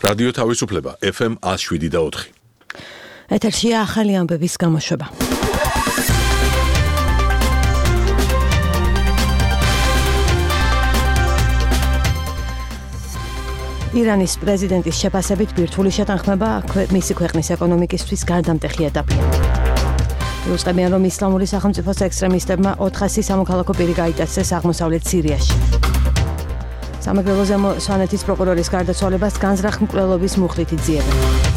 რადიო თავისუფლება FM 107.4. ეთერშია ახალი ამბების გამოშვება. ირანის პრეზიდენტის შეფასებით ბირთვული შეთანხმება მისი ქვეყნის ეკონომიკისთვის გარდამტეხი ეტაპია. იუწყებიან, რომ ისლამური სახელმწიფოს ექსტრემისტებმა 400 სამოქალაქო პირი გაიტაცეს აღმოსავლეთ სირიაში. სამეგრელო ზემო სვანეთის პროკურორის გარდაცვალებას განზრახ მკვლელობის მუხლით იძიებენ.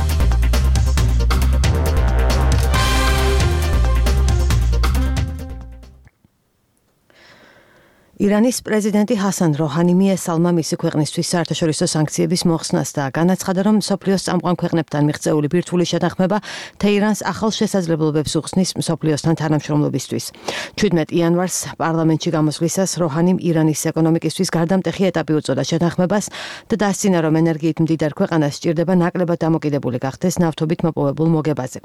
ირანის პრეზიდენტი ჰასან როჰანი მიესალმა მისი ქვეყნისთვის საერთაშორისო სანქციების მოხსნას და განაცხადა, რომ მსოფლიოს წამყვან ქვეყნებთან მიღწეული ბირთვული შეთანხმება თეირანს ახალ შესაძლებლობებს უხსნის მსოფლიოსთან თანამშრომლობისთვის. 17 იანვარს პარლამენტში გამოსვლისას როჰანიმ ირანის ეკონომიკისთვის გარდამტეხი ეტაპი უწოდა შეთანხმებას და დასცინა, რომ ენერგიით მდიდარ ქვეყანას სჭირდება ნაკლებად დამოკიდებული გახდეს ნავთობით მოპოვებულ მოგებაზე.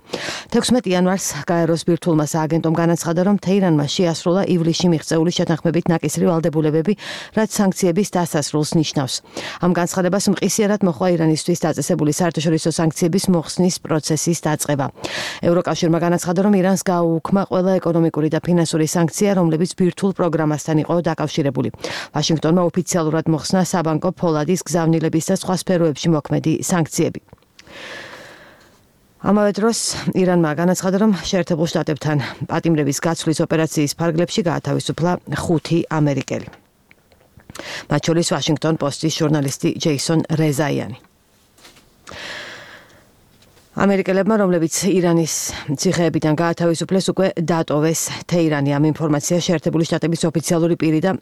16 იანვარს გაეროს ბირთვულმა სააგენტომ განაცხადა, რომ თეირანმა შეასრულა ივლისში მიღწეული შეთანხმებით ნაკისრი ვალდებულებები, რაც სანქციების დასასრულს ნიშნავს. ამ განცხადებას მყისიერად მოჰყვა ირანისთვის დაწესებული საერთაშორისო სანქციების მოხსნის პროცესის დაწყება. ევროკავშირმა განაცხადა, რომ ირანს გააუქმა ყველა ეკონომიკური და ფინანსური სანქცია, რომლებიც ბირთვულ პროგრამასთან იყო დაკავშირებული. ვაშინგტონმა ოფიციალურად მოხსნა საბანკო ფოლადის, გზავნილების და სხვა სფეროებში მოქმედი სანქციები. ამავე დროს ირანმა განაცხადა, რომ შეერთებულ შტატებთან პატიმრების გაცვლის ოპერაციის ფარგლებში გაათავისუფლა 5 ამერიკელი. მათ შორის ვაშინგტონ პოსტის ჟურნალისტი ჯეისონ რეზაიანი. ამერიკელებმა, რომლებიც ირანის ციხეებიდან გაათავისუფლეს, უკვე დატოვეს თეირანი. ამ ინფორმაციას შეერთებული შტატების ოფიციალური პირი და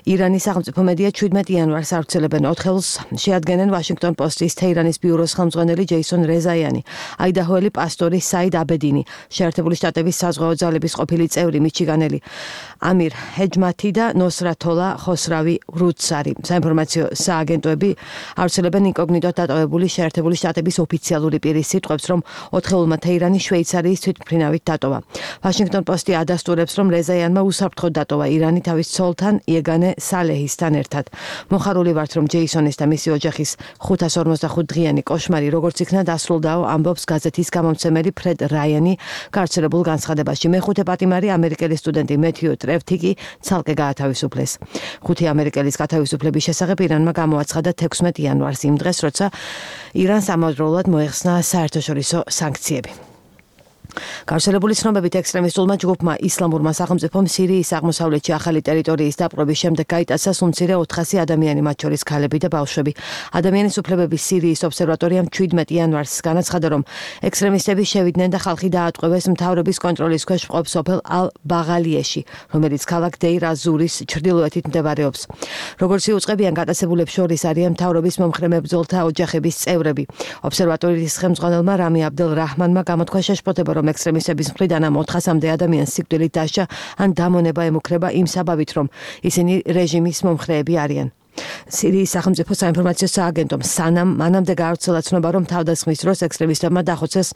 ირანის სახელმწიფო მედია 17 იანვარს ავრცელებენ 4 ხელს შეადგენენ ვაშინგტონ პოსტის თეირანის ბიუროს ხელმძღვანელი ჯეისონ რეზაიანი, აიდაჰოელი პასტორი საიდ აბედინი, შეერთებული შტატების საზღვაო ძალების ყოფილი წევრი მიჩიგანელი ამირ ჰეჯმათი და ნოსრათოლა ხოსრავი რუცარი. საინფორმაციო სააგენტოები ავრცელებენ ინკოგნიტოდ დატოვებული შეერთებული შტატების ოფიციალური პირის სიტყვებს, რომ 4 თეირანი შვეიცარიის თვითმფრინავით დატოვა. ვაშინგტონ პოსტი ადასტურებს, რომ რეზაიანმა უსაფრთხოდ დატოვა ირანი თავის ცოლთან იეგანე სალეჰისთან ერთად. მოხარული ვართ, რომ ჯეისონის და მისი ოჯახის 545 დღიანი კოშმარი როგორც იქნა დასრულდაო, ამბობს გაზეთის გამომცემელი ფრედ რაიანი გავრცელებულ განცხადებაში. მეხუთე პატიმარი ამერიკელი სტუდენტი მეთიუ ტრევთიკი ცალკე გაათავისუფლეს. 5 ამერიკელის გათავისუფლების შესახებ ირანმა გამოაცხადა 16 იანვარს, იმ დღეს, როცა ირანს ამავდროულად მოეხსნა საერთაშორისო სანქციები. გავრცელებული ცნობებით ექსტრემისტულმა ჯგუფმა ისლამურმა სახელმწიფომ სირიის აღმოსავლეთში ახალი ტერიტორიის დაპყრობის შემდეგ გაიტაცა სულ მცირე 400 ადამიანი, მათ შორის ქალები და ბავშვები. ადამიანის უფლებების სირიის ობსერვატორიამ 17 იანვარს განაცხადა, რომ ექსტრემისტები შევიდნენ და ხალხი დაატყვევეს მთავრობის კონტროლის ქვეშ მყოფ სოფელ ალ-ბაღალიეში, რომელიც ქალაქ დეირ-აზურის ჩრდილოეთით მდებარეობს. როგორც იუწყებიან, გატაცებულებს შორის არიან მთავრობის მომხრე მებრძოლთა ოჯახების წევრები. ობსერვატორიის ხელმძღვანელმა რამი აბდელ რაჰმანმა გამოთქვა შეშფოთება, რომ ექსტრემისტების მხრიდან ამ 400-მდე ადამიანს სიკვდილით დასჯა ან დამონება ემუქრება იმ საბაბით, რომ ისინი რეჟიმის მომხრეები არიან. სირიის სახელმწიფო საინფორმაციო სააგენტომ სანამ მანამდე გაავრცელა ცნობა, რომ თავდასხმის დროს ექსტრემისტებმა დახოცეს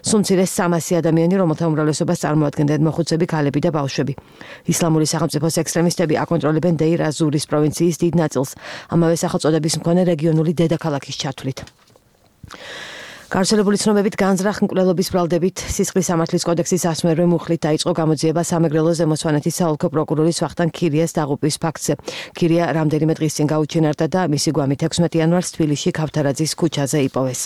სულ მცირე 300 ადამიანი, რომელთა უმრავლესობას წარმოადგენდნენ მოხუცები, ქალები და ბავშვები. ისლამური სახელმწიფოს ექსტრემისტები აკონტროლებენ დეირ-აზურის პროვინციის დიდ ნაწილს, ამავე სახელწოდების მქონე რეგიონული დედაქალაქის ჩათვლით. გავრცელებული ცნობებით განზრახ მკვლელობის ბრალდებით სისხლის სამართლის კოდექსის ასმერვე მუხლით დაიწყო გამოძიება სამეგრელო ზემო სვანეთის საოლქო პროკურორის ვახტანგ ქირიას დაღუპვის ფაქტზე. ქირია რამდენიმე დღის წინ გაუჩინარდა და მისი გვამით 16 იანვარს თბილისში ქავთარაძის ქუჩაზე იპოვეს.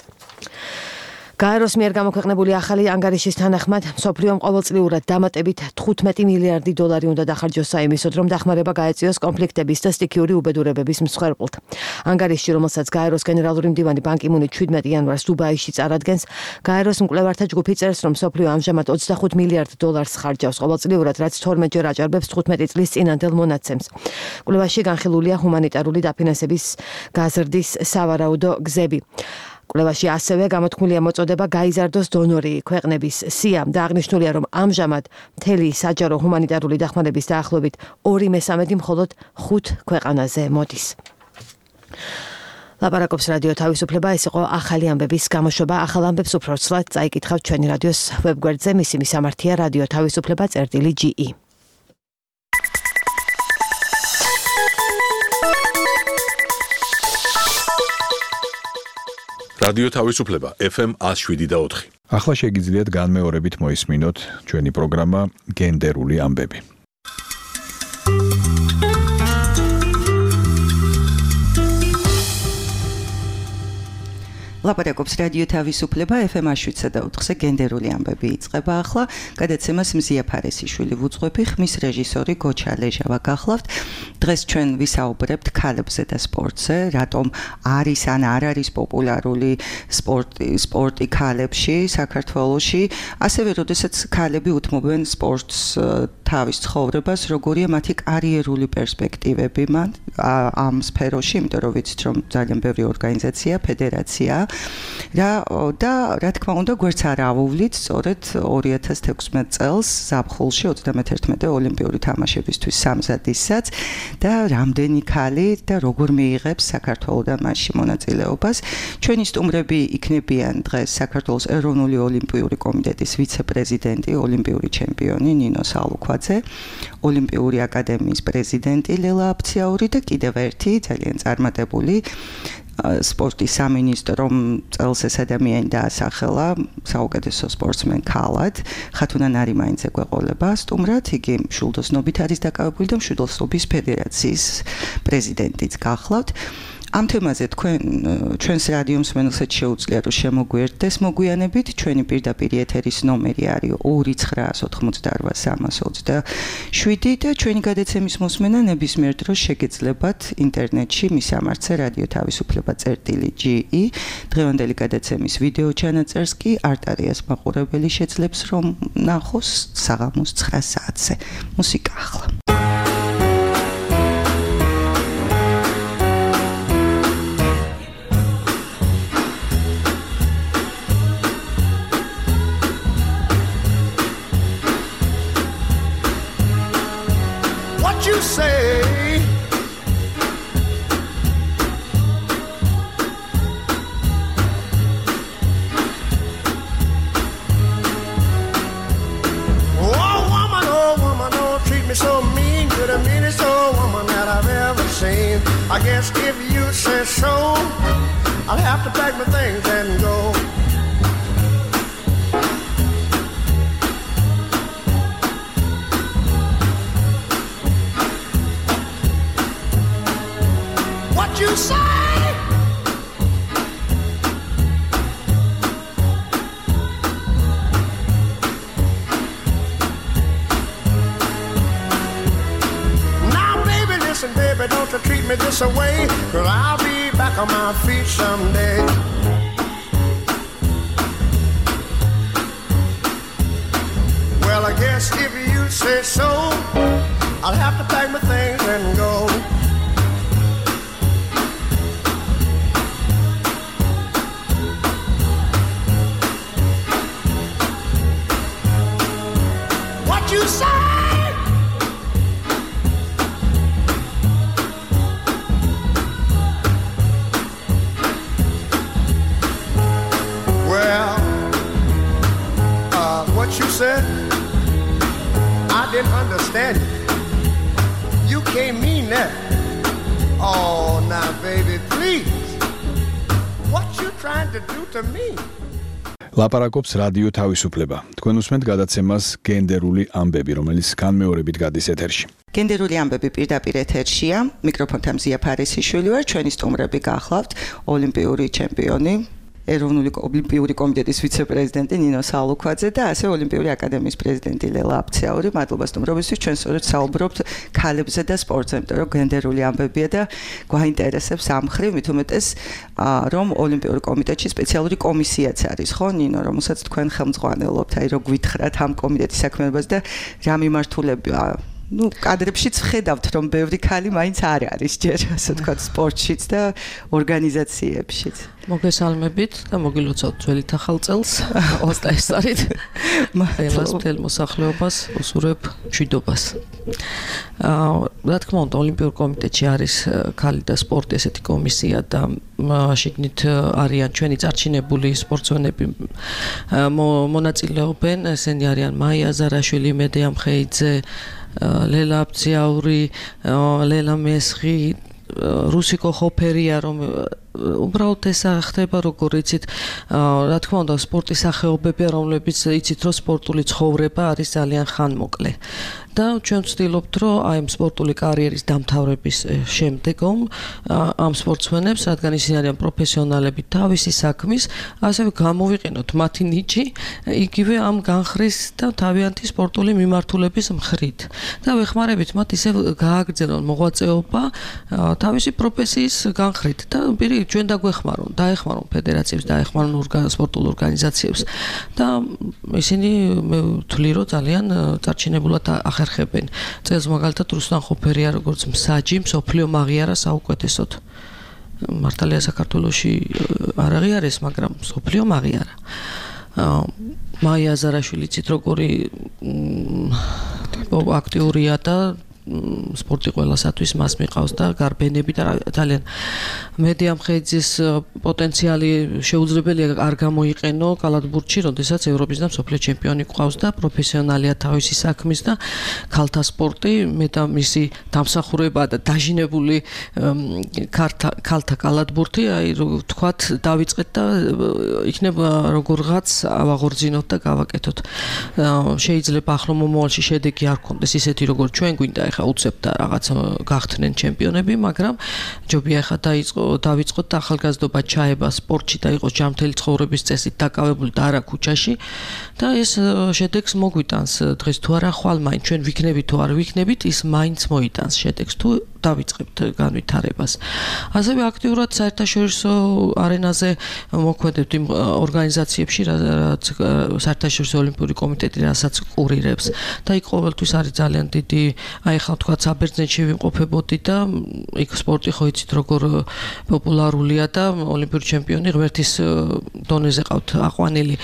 გაეროს მიერ გამოქვეყნებული ახალი ანგარიშის თანახმად, მსოფლიომ ყოველწლიურად დამატებით 15 მილიარდი დოლარი უნდა დახარჯოს საიმისოდ, რომ დახმარება გაეწიოს კონფლიქტების და სტიქიური უბედურებების მსხვერპლთ. ანგარიშში, რომელსაც გაეროს გენერალური მდივანი ბან კი მუნი 17 იანვარს დუბაიში წარადგენს, გაეროს მკვლევართა ჯგუფი წერს, რომ მსოფლიო ამჟამად 25 მილიარდ დოლარს ხარჯავს ყოველწლიურად, რაც 12-ჯერ აჭარბებს 15 წლის წინანდელ მონაცემს. კვლევაში განხილულია ჰუმანიტარული დაფინანსების გაზრდის სავარაუდო გზები. კვლევაში ასევე გამოთქმულია მოწოდება გაიზარდოს დონორი ქვეყნების სია და აღნიშნულია, რომ ამჟამად მთელი საჯარო ჰუმანიტარული დახმარების დაახლოებით 2/3 მხოლოდ 5 ქვეყანაზე მოდის. ლაპარაკობს რადიო თავისუფლება, ეს იყო ახალი ამბების გამოშვება. ახალ ამბებს უფრო ცვლად წაიკითხავთ ჩვენი რადიოს ვებგვერდზე, მისი მისამართია რადიო თავისუფლება.ge. რადიო თავისუფლება FM 107.4. ახლა შეგიძლიათ განმეორებით მოისმინოთ ჩვენი პროგრამა გენდერული ამბები. ლაპარაკობს რადიო თავისუფლება FM 107.4-ზე გენდერული ამბები იწყება ახლა. გადაცემას მზია ფარესიშვილი ვუძღვები, ხმის რეჟისორი გოჩა ლეჟავა გახლავთ. დღეს ჩვენ ვისაუბრებთ ქალებზე და სპორტზე, რატომ არის ან არ არის პოპულარული სპორტი ქალებში საქართველოში, ასევე როდესაც ქალები უთმობენ სპორტს თავის ცხოვრებას, როგორია მათი კარიერული პერსპექტივები ამ სფეროში, იმიტომ რომ ვიცით, რომ ძალიან ბევრი ორგანიზაცია, ფედერაცია და რა თქმა უნდა გვერდს არ ავუვლით სწორედ 2016 წელს ზაფხულში 31 ოლიმპიური თამაშებისთვის სამზადისსაც და რამდენი ქალი და როგორ მიიღებს საქართველოსთან მასში მონაწილეობას. ჩვენი სტუმრები იქნებიან დღეს საქართველოს ეროვნული ოლიმპიური კომიტეტის ვიცე-პრეზიდენტი, ოლიმპიური ჩემპიონი ნინო სალუქვაძე, ოლიმპიური აკადემიის პრეზიდენტი ლელა აფციაური და კიდევ ერთი ძალიან წარმატებული სპორტის სამინისტრო, რომ წელს ეს ადამიანი დაასახელა საუკეთესო სპორტსმენ ქალად, ხათუნა ნარიმაინძე გვეყოლება სტუმრად, იგი მშვილდოსნობით არის დაკავებული და მშვილდოსნობის ფედერაციის პრეზიდენტიც გახლავთ. ამ თემაზე ჩვენს რადიო მსმენელსაც შეუძლია რომ შემოგვიერთდეს მოგვიანებით. ჩვენი პირდაპირ ეთერის ნომერი არის 2988327 და ჩვენი გადაცემის მოსმენა ნებისმიერ დროს შეგეძლებათ ინტერნეტში მის სამართზე რადიო თავისუფლება.ge. დღევანდელი გადაცემის ვიდეო ჩანაწერს კი არტარიას მაყურებელი შეძლებს რომ ნახოს საღამოს 9 საათზე. მუსიკა ახლა. I guess if you say so, I'll have to pack my things and go. What you say? Listen, baby, don't you treat me this way, 'cause I'll be back on my feet someday. Well, I guess if you say so, I'll have to pack my things and go. What you say? What you said, I didn't understand it. You can't mean that. Oh, now, baby, please. What you trying to do to me? ლაპარაკობს რადიო თავისუფლება. თქვენ უსმენთ გადაცემას გენდერული ამბები, რომელიც განმეორებით გადის ეთერში. გენდერული ამბები პირდაპირ ეთერშია. მიკროფონთან მზია ფარესიშვილი ვარ. ჩვენი სტუმრები გახლავთ ოლიმპიური ჩემპიონი, ეროვნული ოლიმპიური კომიტეტის ვიცე-პრეზიდენტი ნინო სალუქვაძე და ასე ოლიმპიური აკადემიის პრეზიდენტი ლელა აფციაური. მადლობა სტუმრობისთვის. ჩვენ სწორედ საუბრობთ ქალებზე და სპორტზე, იმიტომ რომ გენდერული ამბებია და გვაინტერესებს ამ მხრივ, მით უმეტეს რომ ოლიმპიური კომიტეტში სპეციალური კომისიაც არის, ხო ნინო, რომელსაც თქვენ ხელმძღვანელობთ, აი რო გვითხრათ ამ კომიტეტის საქმიანობას და რა მიმართულებაა. კადრებშიც ვხედავთ, რომ ბევრი ქალი მაინც არ არის ჯერ, ასე ვთქვათ, სპორტშიც და ორგანიზაციებშიც. მოგესალმებით და მოგილოცავთ ძველით ახალ წელს 23-ით. ყველას მთელ მოსახლეობას უსურვებ მშვიდობას. რა თქმა უნდა, ოლიმპიურ კომიტეტში არის ქალი და სპორტი ესეთი კომისია და შიგნით არიან ჩვენი წარჩინებული სპორტსმენები მონაწილეობენ, ესენი არიან მაია ზარაშვილი, მედეა მხეიძე, ლელა აფციაური, ლელა მესხი, რუსიკო ხოფერია, უბრალოდ ეს ხდება როგორ იცით რა თქმა უნდა სპორტის სახეობები რომლებიც იცით რომ სპორტული ცხოვრება არის ძალიან ხანმოკლე და ჩვენ ვცდილობთ რომ აი ამ სპორტული კარიერის დამთავრების შემდეგომ ამ სპორტსმენებს რადგან ისინი არიან პროფესიონალები თავისი საქმის ასევე გამოვიყენოთ მათი ნიჭი იგივე ამ განხრის და თავიანთი სპორტული მიმართულების მხრით და ვეხმარებით მათ ისევ გააგრძელონ მოღვაწეობა თავისი პროფესიის განხრით და პირი ჩვენ დაეხმარონ ფედერაციებს დაეხმარონ სპორტულ ორგანიზაციებს და ისინი მე ვთვლი რომ ძალიან წარჩინებულად ახერხებენ წელს მაგალითად რუსლან ხოფერია როგორც მსაჯი მსოფლიო მაღიარა საუკეთესოდ მართალია საქართველოში არ აღიარეს მაგრამ მსოფლიო მაღიარა მაია აზარაშვილი ცით როგორი აქტიურია და სპორტი ყველასათვის მას მიყავს და გარბენები და ძალიან მედია მხედრის პოტენციალი შეუძლებელია არ გამოიყენო კალათბურთში, როდესაც ევროპის და მსოფლიო ჩემპიონი ყავს და პროფესიონალია თავისი საქმის და ქალთა სპორტი მე და მისი დამსახურება და დაჟინებული ქალთა კალათბურთი, აი ვთქვათ, დავიწყეთ და იქნება როგორღაც ავაღორძინოთ და გავაკეთოთ. შეიძლება ახლო მომავალში შედეგი არ გქონდეს ისეთი როგორც ჩვენ გვინდა ეხა უცებთ და რაღაც გახდნენ ჩემპიონები, მაგრამ ჯობია ეხა დავიწყოთ და ახალგაზრდობა ჩაება სპორტში და იყოს ჯანმრთელი ცხოვრების წესით დაკავებული და არა ქუჩაში და ეს შედეგს მოგვიტანს დღეს თუ არა ხვალ მაინც ჩვენ ვიქნებით თუ არ ვიქნებით ის მაინც მოიტანს შედეგს თუ დავიწყებთ განვითარებას. ასევე აქტიურად საერთაშორისო არენაზე მოქმედებთ იმ ორგანიზაციებში, რაც საერთაშორისო ოლიმპიური კომიტეტი რასაც ყურირებს და იქ ყოველთვის არის ძალიან დიდი, აი ხა თქვა საბერძნეთში ვიმყოფებოდი და იქ სპორტი ხო იცით როგორ პოპულარულია და ოლიმპიური ჩემპიონი ღმერთის დონეზე ყავთ აყვანილი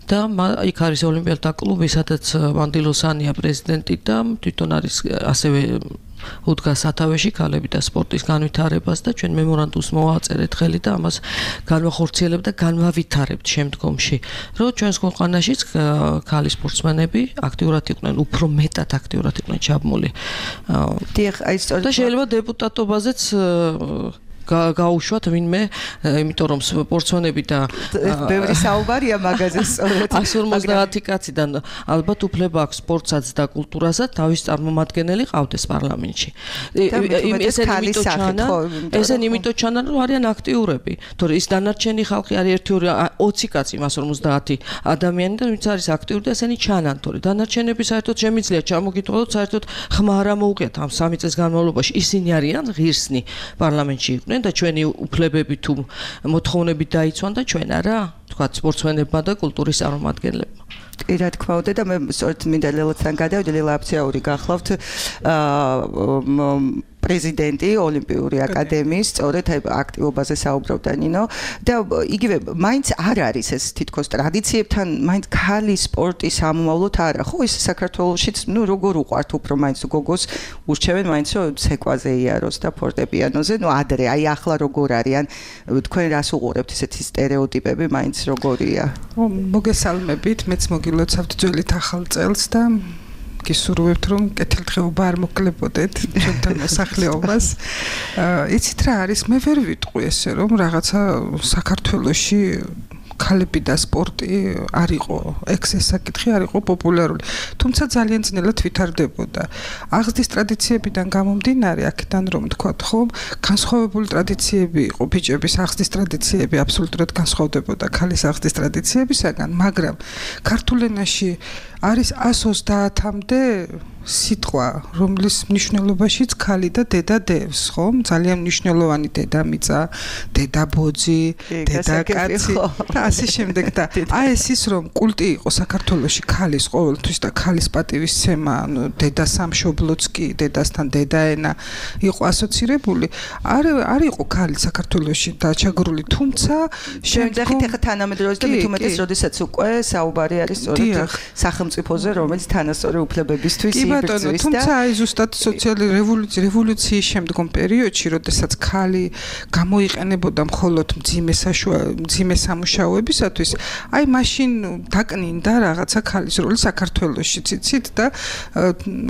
და იქ არის ოლიმპიადა კლუბი, სადაც მანდილოსანია პრეზიდენტი და თვითონ არის ასევე უდგას სათავეში ქალები და სპორტის განვითარებას და ჩვენ მემორანდუმს მოვაწერეთ ხელი და ამას განვახორციელებთ და განვავითარებთ შემდგომში. რომ ჩვენს ქვეყანაშიც ქალი სპორტსმენები აქტიურად იყვნენ, უფრო მეტად აქტიურად იყვნენ ჩაბმული. და შეიძლება დეპუტატობაზეც გაუშვათ ვინმე, იმიტომ რომ სპორტსმენები და ბევრი საუბარია მაგაზე სწორედ 150 კაციდან ალბათ უფლება აქვს სპორტსაც და კულტურასაც თავის წარმომადგენელი ყავდეს პარლამენტში. ესენ იმიტომ ჩანან რომ არიან აქტიურები, თორე ის დანარჩენი ხალხი არის 1-20 კაცი 150 ადამიანი და ვინც არის აქტიური და ესენი ჩანან, თორე დანარჩენები საერთოდ შემიძლია ჩამოგიტყოლოთ, საერთოდ ხმა არ მოუყიათ ამ 3 წელს განმავლობაში ისინი არიან ღირსნი პარლამენტში იყვნენ და ჩვენი უფლებები თუ მოთხოვნები დაიცვან და ჩვენ არა, თქვათ სპორტსმენებმა და კულტურის წარმომადგენლებმა. რა თქმა უნდა და მე სწორედ მინდა ლელოთან გადავიდე, ლელა აფციური გახლავთ პრეზიდენტი ოლიმპიური აკადემიის, სწორედ აქტივობაზე საუბრობდა ნინო და იგივე მაინც არ არის ეს თითქოს ტრადიციებთან მაინც ქალი სპორტის ამომავლოდ არა. ხო ის საქართველოშიც ნუ როგორ უყვართ უფრო მაინც გოგოს ურჩევენ მაინც რომ ცეკვაზე იაროს და ფორტეპიანოზე, ნუ ადრე აი ახლა როგორ არიან თქვენ რას უყურებთ ესეთი სტერეოტიპები მაინც როგორია? მოგესალმებით, მეც მოგილოცავთ ძველით ახალ წელს და გისურვებთ რომ კეთილდღეობა არ მოკლებოდეთ ჩვენთან მოსახლეობას. იცით რა არის, მე ვერ ვიტყვი ესე რომ რაღაცა საქართველოში ქალები და სპორტი არ იყო, ეს საკითხი არ იყო პოპულარული. თუმცა ძალიან ძნელად ვითარდებოდა. აღზრდის ტრადიციებიდან გამომდინარე, აქედან რომ თქვათ, ხო, განსხვავებული ტრადიციები იყო, ბიჭების აღზრდის ტრადიციები აბსოლუტურად განსხვავდებოდა ქალის აღზრდის ტრადიციებისაგან, მაგრამ ქართულ ენაში არის 130-მდე სიტყვა, რომლის მნიშვნელობაშიც ქალი და დედა დევს, ხო? ძალიან მნიშვნელოვანი დედამიწა, დედაბოძი, დედაკაცი და ასე შემდეგ და აი ეს ის რომ კულტი იყო საქართველოში ქალის ყოველთვის და ქალის პატივისცემა, ანუ დედა სამშობლოც კი, დედასთან დედაენა იყო ასოცირებული, არ იყო ქალი საქართველოში დაჩაგრული, თუმცა შემდეგით ახლა თანამედროვეზე და მithumetes როდესაც უკვე საუბარი არის სწორედ სახელმწიფოზე, რომელიც თანასწორი უფლებებისთვის იბრძვის. კი ბატონო, თუმცა აი ზუსტად სოციალური რევოლუციის შემდგომ პერიოდში, როდესაც ქალი გამოიყენებოდა მხოლოდ მძიმე სამუშაოებისათვის, აი მაშინ დაკნინდა რაღაცა ქალის როლი საქართველოში, ციცით და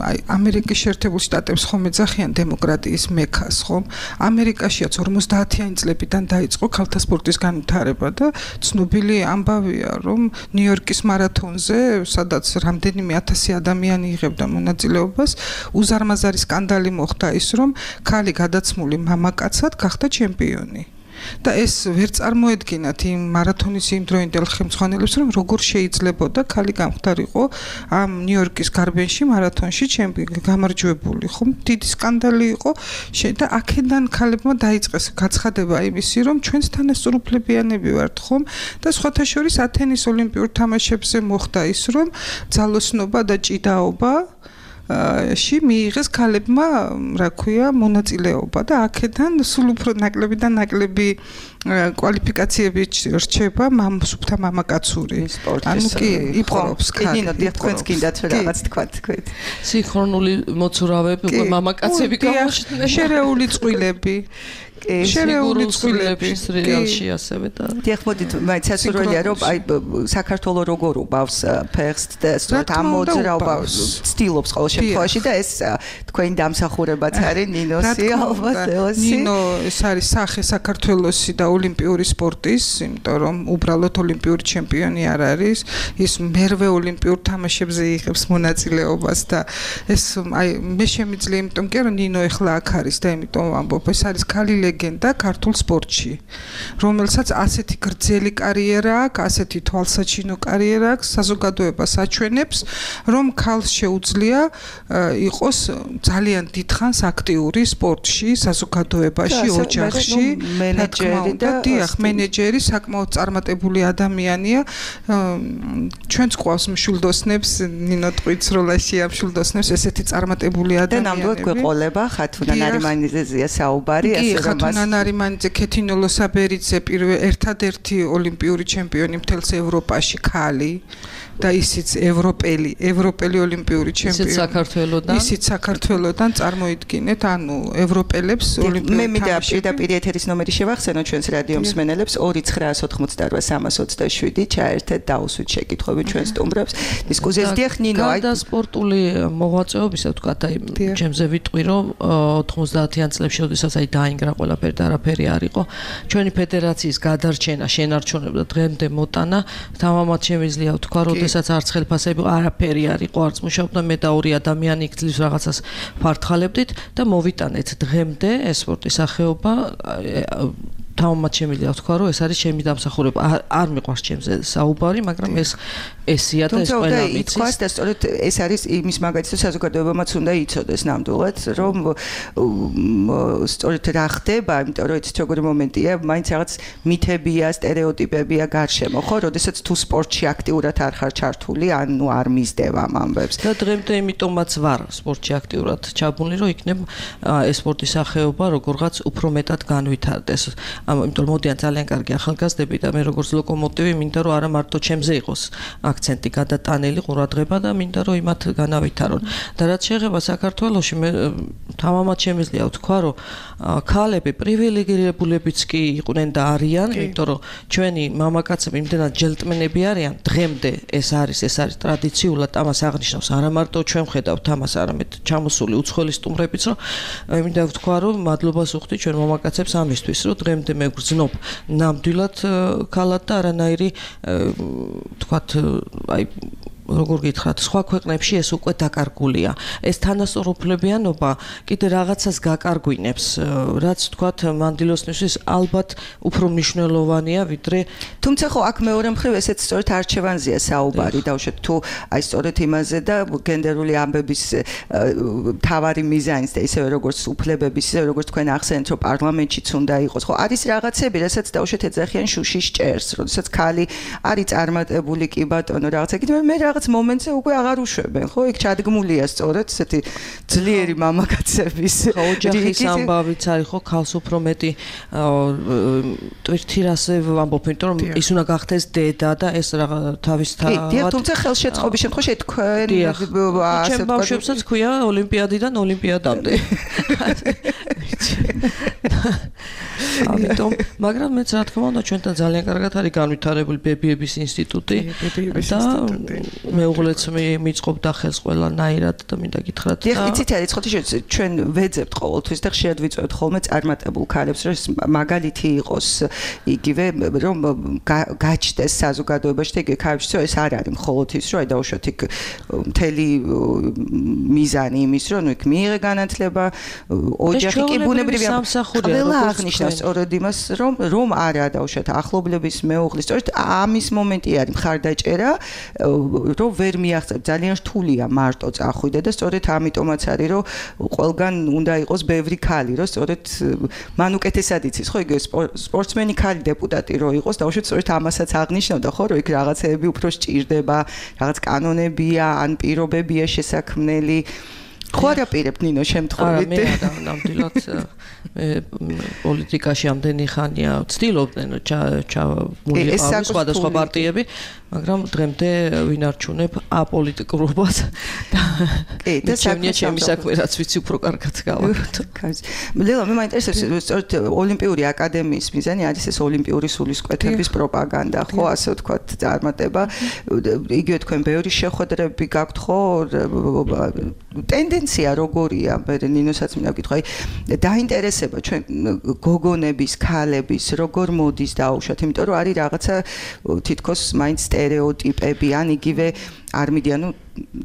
აი ამერიკის შეერთებულ შტატებს ხომ ეძახიან დემოკრატიის მექას, ხომ? ამერიკაშიაც 50-იანი წლებიდან დაიწყო ქალთა სპორტის განვითარება და ცნობილი ამბავია, რომ ნიუ-იორკის მარათონზე, სადაც რამდენიმე 1000 ადამიანი იღებდა მონაწილეობას, უზარმაზარი სკანდალი მოხდა ის, რომ ქალი გადაცმული მამაკაცად გახდა ჩემპიონი. და ეს ვერ წარმოედგინათ იმ მარათონის იმ დროინდელ ხელმძღვანელებს, რომ როგორ შეიძლებოდა ქალი გამختارიყო ამ ნიუ-იორკის გარბენში მარათონში გამარჯვებული, ხომ? დიდი სკანდალი იყო და აქედან ქალებმა დაიწყეს გაცხადება იმისი, რომ ჩვენს თანასწორუფლებიანები ვართ, ხომ? და სხვათა შორის ათენის ოლიმპიურ თამაშებზე მოხდა ის, რომ ძალოსნობა და ჭიდაობა მიიღეს ქალებმა, რა ქვია, მონაწილეობა და აქედან სულ უფრო ნაკლები და ნაკლები კვალიფიკაციები რჩება სუფთა მამაკაცური. ანუ კი იპყრობს ქალი. თქვენს გინდათ რაღაც თქვათ თქვენ. სინქრონული მოცურავეები უკვე მამაკაცები გამოჩნდნენ. შერეული წყვილები. შერეული წყვილები სერიალში ასევე და დიახ, მოდით, მაინც ასურველია, რომ აი საქართველოს როგორ უბავს ფეხს და სწორედ ამ მოძრაობას ცდილობს ყოველ შემთხვევაში და ეს თქვენი დამსახურებაც არის ნინოსი ალბათ ელოსი. ნინო ეს არის სახე საქართველოსი და ოლიმპიური სპორტის, იმიტომ რომ უბრალოდ ოლიმპიური ჩემპიონი არ არის, ის მერვე ოლიმპიურ თამაშებზე იღებს მონაწილეობას და ეს აი მე შემიძლია, იმიტომ კი რომ ნინო ეხლა აქ არის და იმიტომ ვამბობ, ეს არის ქალი ლეგენდა ქართულ სპორტში, რომელსაც ასეთი გრძელი კარიერა აქვს, ასეთი თვალსაჩინო კარიერა აქვს, საზოგადოებას აჩვენებს, რომ ქალს შეუძლია იყოს ძალიან დიდხანს აქტიური სპორტში, საზოგადოებაში, ოჯახში, მენეჯერი და დიახ, მენეჯერი, საკმაოდ წარმატებული ადამიანია. ჩვენც ყავს მშვილდოსნებს, ნინო ტყვიც როლაშია მშვილდოსნებს, ესეთი წარმატებული ადამიანები. და ნამდვილად გვეყოლება ხათუნა ნარიმანიძეა საუბარი, ასე რომ ხათუნა ნარიმანიძე, ქეთინოლო საბერიძე, ერთადერთი ოლიმპიური ჩემპიონი მთელს ევროპაში ქალი. და ისიც ევროპელი ოლიმპიური ჩემპიონი. ისიც საქართველოდან წარმოიდგინეთ, ანუ ევროპელებს ოლიმპიური მე მინდა პირდაპირ ეთერის ნომერი შევახსენო ჩვენს რადიო მსმენელებს 2988327 ჩაერთეთ დაუსვით შეკითხვები ჩვენ სტუმრებს დისკუსიას. დიახ, ნინო, აი და სპორტული მოღვაწეობისა ვთქვათ, აი ჩემზე ვიტყვი, რომ 90-იან წლებში, როდესაც აი დაინგრა ყველაფერი და არაფერი არ იყო, ჩვენი ფედერაციის გადარჩენა, შენარჩუნება დღემდე მოტანა, თამამად შემიძლია ვთქვა, რომ სადაც არც ხელფასები არაფერი არ იყო, არც მუშაობდა, მე და ორი ადამიანი იქ ძლივს რაღაცას ფართხალებდით და მოვიტანეთ დღემდე ეს სპორტის სახეობა. თამამად შემიძლია ვთქვა, რომ ეს არის ჩემი დამსახურება. არ მიყვარს ჩემზე საუბარი, მაგრამ ესია და ეს ყველა ვიცის. თუმცა და სწორედ ეს არის იმის მაგალითად საზოგადოებამაც უნდა იცოდეს ნამდვილად, რომ სწორედ რა ხდება, იმიტომ რომ იცით როგორი მომენტია, მაინც რაღაც მითებია, სტერეოტიპებია გარშემო, ხო, როდესაც თუ სპორტში აქტიურად არ ხარ ჩართული, ანუ არ მისდევ ამ ამბებს. და დღემდე იმიტომაც ვარ სპორტში აქტიურად ჩაბმული, რომ იქნებ ეს სპორტის სახეობა როგორღაც უფრო მეტად განვითარდეს. იმიტომ რომ მოდიან ძალიან კარგი ახალგაზრდები და მე როგორც ლოკომოტივი მინდა რომ არა მარტო ჩემზე იყოს აქცენტი გადატანილი ყურადღება და მინდა რომ იმათ განავითარონ. და რაც შეეხება საქართველოში, მე თამამად შემიძლია ვთქვა, რომ ქალები პრივილეგირებულებიც კი იყვნენ და არიან, იმიტომ რომ ჩვენი მამაკაცები იმდენად ჯელტმენები არიან, დღემდე ეს არის ტრადიციულად, ამას აღნიშნავს არა მარტო ჩვენ ხედავთ ამას, არამედ ჩამოსული უცხოელი სტუმრებიც, რომ მინდა ვთქვა, რომ მადლობას ვუხდი ჩვენ მამაკაცებს ამისთვის, რომ დღემდე მე ვგრძნობ ნამდვილად ქალად და არანაირი თქვათ აი როგორ გითხრათ, სხვა ქვეყნებში ეს უკვე დაკარგულია. ეს თანასწორუფლებიანობა კიდე რაღაცას გაკარგვინებს, რაც თქვათ მანდილოსნისთვის ალბათ უფრო მნიშვნელოვანია, ვიდრე თუმცა ხო აქ მეორე მხრივ ესეც სწორედ არჩევანზეა საუბარი, დავუშვათ თუ აი სწორედ იმაზე და გენდერული ამბების თავარი მიზანიც და ისევე როგორც უფლებების, ისევე როგორც თქვენ ახსენეთ, რომ პარლამენტშიც უნდა იყოს. ხო, არის რაღაცები, რასაც დავუშვათ ეძახიან შუშის ჭერს, როდესაც ქალი არის წარმატებული კი ბატონო, რაღაცა კიდე მე რაღაც მომენტზე უკვე აღარ უშვებენ, ხო? იქ ჩადგმულია სწორედ ესეთი ძლიერი მამაკაცების ოჯახის ამბავიც არის, ხო, ქალს უფრო მეტი ტვირთი რასე ვამბობ, იმიტომ რომ ის უნდა გახდეს დედა და ეს რაღაც თავის დიახ, თუმცა ხელშეწყობის შემთხვევაში თქვენ ჩემ ბავშვებსაც ქვია ოლიმპიადიდან ოლიმპიადამდე. ამიტომ, მაგრამ მეც რა თქმა უნდა ჩვენთან ძალიან კარგად არის განვითარებული ბებიების ინსტიტუტი და მეუღლეც მიწყობდა ხელს ყველანაირად და მინდა გითხრათ. დიახ, იცით არის ხოთი ჩვენ ვეძებთ ყოველთვის და ხშირად ვიწვევთ ხოლმე წარმატებულ ქალებს, რომ მაგალითი იყოს იგივე რომ გაჩნდეს საზოგადოებაში და იგივე ქალებში ეს არ არის მხოლოდ ის რომ აი დაუშვათ იქ მთელი მიზანი იმის რომ იქ მიიღე განათლება ოჯახი კი ბუნებრივია ყველა აღნიშნავს სწორედ იმას რომ არა დაუშვათ ახლობლების მეუღლის სწორედ ამის მომენტი არის მხარდაჭერა რომ ვერ მიაღწევ ძალიან რთულია მარტო წახვიდე და სწორედ ამიტომაც არის რომ ყველგან უნდა იყოს ბევრი ქალი რომ სწორედ მან უკეთესად იცის ხო იგივე სპორტსმენი ქალი დეპუტატი რო იყოს დაუშვათ სწორედ ამასაც აღნიშნავდა ხო რომ იქ რაღაცეები უფრო სჭირდება რაღაც კანონებია ან პირობებია შესაქმნელი ხო არ აპირებთ ნინო შემთხვევით მე არა ნამდვილად პოლიტიკაში ამდენი ხანია ვცდილობდნენ ჩავმოიყავი სხვადასხვა პარტიები მაგრამ დღემდე ვინარჩუნებ აპოლიტიკურობას და ჩემი საქმე რაც ვიცი უფრო კარგად გავაკეთო. ლელა მე მაინტერესებს სწორედ ოლიმპიური აკადემიის მიზანი არის ეს ოლიმპიური სულისკვეთების პროპაგანდა ხო ასე ვთქვათ წარმატება იგივე თქვენ ბევრი შეხვედრები გაქვთ ხო ტენდენცია როგორია მე ნინოსაც მინდა ვკითხო აი დაინტერესება ჩვენ გოგონების ქალების როგორ მოდის დაუშვათ იმიტომ რომ არის რაღაცა თითქოს მაინც სტერეოტიპები ან იგივე არ მიდიან ნუ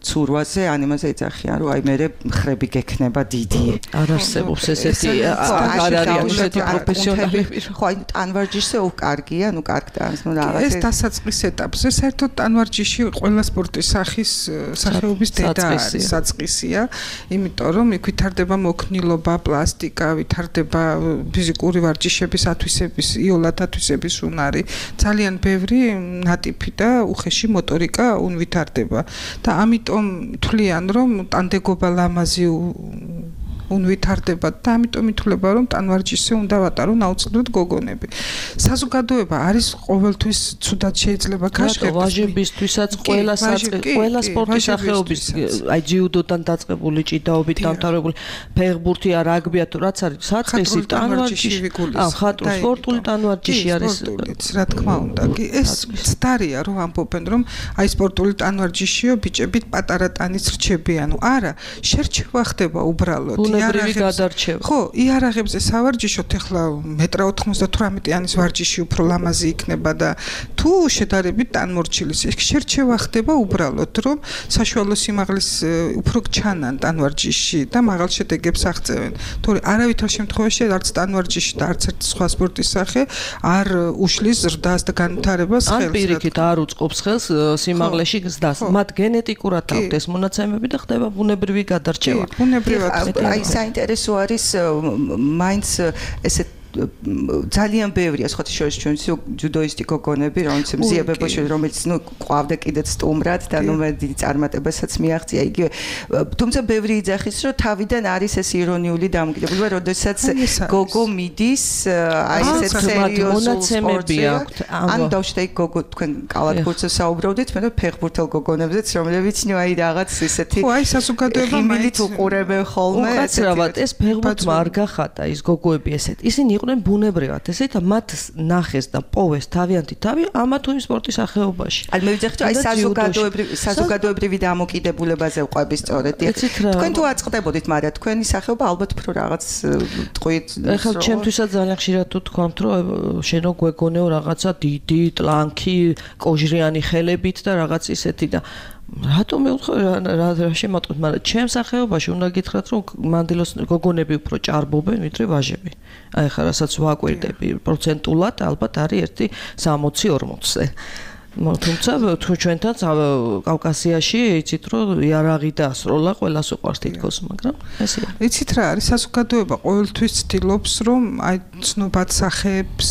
ცურვაზე ან იმაზე ეძახიან რომ აი მე ხრები გექნება დიდი არ არსებობს ესეთი არ არის ესეთი პროფესიონალები ხო აი ტანვარჯიშზე უკარგია ნუ კარგ ტანს ნუ რაღაც ეს დასაწყის ეტაპზე საერთოდ ტანვარჯიში ყველა სპორტის სახეობის დედა არის საწყისია იმიტომ რომ იქ ვითარდება მოქნილობა პლასტიკა ვითარდება ფიზიკური ვარჯიშების ათვისების იოლად ათვისების უნარი ძალიან ბევრი ნატიფი და უხეში მოტორიკა ვითარდება და ამიტომ თვლიან რომ ტანდეგობა ლამაზი ვითარდება და ამიტომ ითვლება რომ ტანვარჯიშზე უნდა ვატარონ აუცილებლად გოგონები. საზოგადოება არის ყოველთვის ცუდად შეიძლება გაშკერდეს. ვაჟებისთვისაც ყველა სპორტის სახეობის აი ჯიუდოდან დაწყებული ჭიდაობით დამთავრებული ფეხბურთი რაგბია თუ რაც არის საწყისი ტანვარჯიში ხატო სპორტული ტანვარჯიში არის რა თქმა უნდა კი ეს ცდარია რომ ამბობენ რომ აი სპორტული ტანვარჯიშიო ბიჭებით პატარა ტანის რჩებიან. არა შერჩევა ხდება უბრალოდ ბუნებრივი გადარჩევა. ხო, იარაღებზე სავარჯიშოთ ახლა 1.98 ვარჯიში უფრო ლამაზი იქნება და თუ შედარებით ტანმორჩილის შერჩევა ხდება უბრალოდ რომ საშუალო სიმაღლის უფრო ჩანან ტანვარჯიში და მაღალ შედეგებს აღწევენ. თორე არავითარ შემთხვევაში არც ტანვარჯიში და არც ერთი სხვა სპორტის სახე არ უშლის ზრდას და განვითარებას ხელს. ან პირიქით არ უწყობს ხელს სიმაღლეში ზრდას. მათ გენეტიკურად აქვთ ეს მონაცემები და ხდება ბუნებრივი გადარჩევა. ბუნებრივად აი საინტერესო არის მაინც ესე ძალიან ბევრია სხვა შორის ჩვენ ჯუდოისტი გოგონები რომელიც მზიებებაში რომელიც ნუ ყვავდა კიდეც სტუმრად და ნუ მე დიდი წარმატებასაც მიაღწია იგივე თუმცა ბევრი იძახის რომ თავიდან არის ეს ირონიული დამოკიდებულება როდესაც გოგო მიდის აი ესეთ სერიოზულ სპორტში ან დავშტე გოგო თქვენ კალათბურთზე საუბრობდით მე ფეხბურთელ გოგონებზეც რომლებიც ნუ აი რაღაც ესეთი ხო აი საზოგადოება მაინც უყურებენ ხოლმე უკაცრავად ეს ფეხბურთმა არ გახატა ის გოგოები ესეთ ისინი იყვნენ ბუნებრივად ესეთ მათ ნახეს და პოვეს თავიანთი თავი ამა თუ იმ სპორტის სახეობაში. აი მე ვიძახი რომ აი საზოგადოებრივი დამოკიდებულებაზე ვყვები სწორედ. თქვენ თუ აწყდებოდით, მაგრამ თქვენი სახეობა ალბათ უფრო რაღაც ტყვით. ეხლა ჩემთვისაც ძალიან ხშირად თუ თქვამთ რომ შენო გვეგონეო რაღაცა დიდი ტლანქი კოჟრიანი ხელებით და რაღაც ისეთი და რატომ მეუთხარ რა შემატყოთ, მაგრამ ჩემ სახეობაში უნდა გითხრათ რომ მანდილოს გოგონები უფრო ჭარბობენ ვიდრე ვაჟები. აი ხა რასაც ვაკვირდები პროცენტულად ალბათ არის ერთი 60-40-ზე. თუმცა თუ ჩვენთან კავკასიაში იცით რომ იარაღი დაასროლა ყველას უყვარს თითქოს მაგრამ ესეა იცით რა არის საზოგადოება ყოველთვის ცდილობს რომ აი ცნობად სახეებს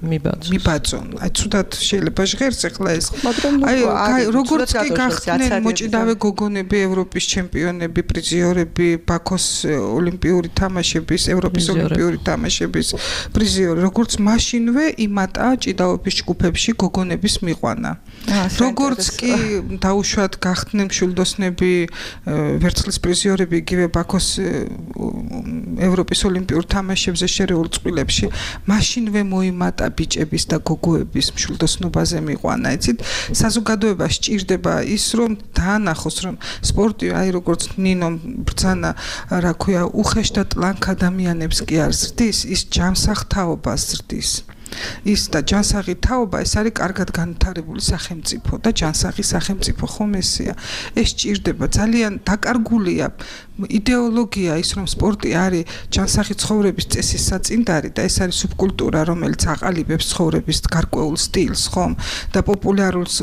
მიბაძონ აი ცუდად შეიძლება ჟღერს ახლა ეს აი როგორც კი გახდნენ მოჭიდავე გოგონები ევროპის ჩემპიონები პრიზიორები ბაქოს ოლიმპიური თამაშების ევროპის ოლიმპიური თამაშების პრიზიორი როგორც მაშინვე იმატა ჭიდაობის ჯგუფებში გოგონების მიყვანა როგორც კი დაუშვათ გახდნენ მშვილდოსნები ვერცხლის პრიზიორები იგივე ბაქოს ევროპის ოლიმპიურ თამაშებზე შერეულ წყვილებში მაშინვე მოიმატა ბიჭების და გოგოების მშვილდოსნობაზე მიყვანა იცით საზოგადოება სჭირდება ის რომ დაანახოს რომ სპორტი აი როგორც ნინო ბრძანა რა ქვია უხეშ და ტლანქ ადამიანებს კი არ ზრდის ის ჯანსაღ თაობას ზრდის ის და ჯანსაღი თაობა ეს არის კარგად განვითარებული სახელმწიფო და ჯანსაღი სახელმწიფო ხომ ესეა ეს ჭირდება ძალიან დაკარგულია იდეოლოგია ის რომ სპორტი არის ჯანსაღი ცხოვრების წესის საწინდარი და ეს არის სუბკულტურა რომელიც აყალიბებს ცხოვრების გარკვეულ სტილს ხომ და პოპულარულს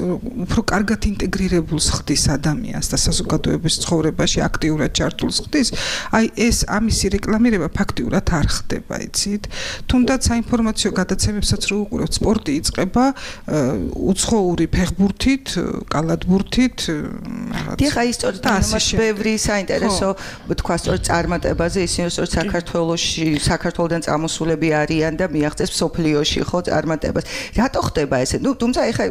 უფრო კარგად ინტეგრირებულს ხდის ადამიანს და საზოგადოების ცხოვრებაში აქტიურად ჩართულს ხდის აი ეს ამისი რეკლამირება ფაქტიურად არ ხდება იცით თუნდაც საინფორმაციო გადაცემებსაც რო უყურებთ სპორტი იწყება უცხოური ფეხბურთით კალათბურთით დიახ აი სწორედ ამას ბევრი საინტერესო თქვა სწორედ წარმატებაზე ისინი სწორედ საქართველოსდან წამოსულები არიან და მიაღწევს სოფლიოში ხო წარმატებას რატო ხდება ესე ნუ თუმცა ეხა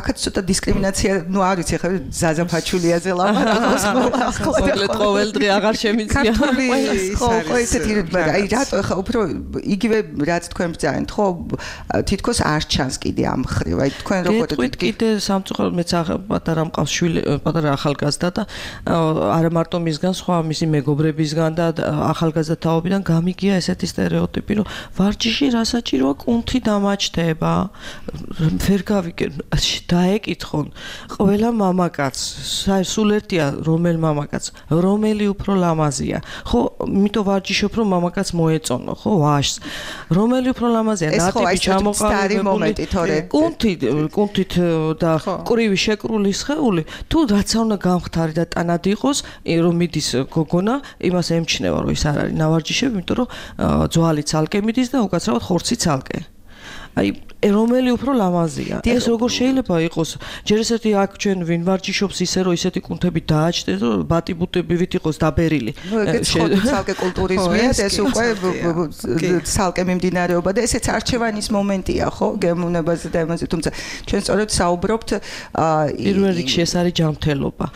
აქაც ცოტა დისკრიმინაცია ნუ არ ვიცი ეხა ზაზაფაჩულიაზე ლაპარაკობს მოკლედ ყოველ დღე აღარ შემიძლია ხო ესეთი აი რატო ეხა უფრო იგივე რაც თქვენ ბრძანეთ ხო თითქოს არ ჩანს კიდე ამ ხრივ აი თქვენ როგორ კიდე სამწუხაროდ მეც პატარა მყავს შვილი პატარა ახალგაზრდა და არა მარტო მისგან სხვა მისი მეგობრებისგან და ახალგაზრდა თაობიდან გამიგია ესეთი სტერეოტიპი რომ ვარჯიში რა საჭიროა კუნთი დამაჩდება ვერ გავიგებ დაეკითხონ ყველა მამაკაც სულ ერთია რომელ მამაკაც რომელი უფრო ლამაზია ხო იმიტომ ვარჯიშობ რომ მამაკაც მოეწონო ხო ვაშს რომელი უფრო ლამაზია ნატიბი ჩამოყალიბებული კუნთით და ყრივი შეკრული სხეული თუ რაც უნდა გამხდარი და ტანად იყოს რომ მიდის გოგონა იმას ემჩნევა რომ ის არ არის ნავარჯიშები იმიტომ რომ ძვალი ცალკე მიდის და უკაცრავად ხორცი ცალკე აი რომელი უფრო ლამაზია ეს როგორ შეიძლება იყოს ჯერ ესეთი აქ ჩვენ ვინ ვარჯიშობს ისე რომ ისეთი კუნთები დააჭდეს რომ ბატიბუტებივით იყოს დაბერილი ეს ცალკე კულტურიზმია ეს უკვე ცალკე მიმდინარეობა და ესეც არჩევანის მომენტია ხო გემოვნებაზე და იმაზე თუმცა ჩვენ სწორედ საუბრობთ პირველ რიგში ეს არის ჯანმრთელობა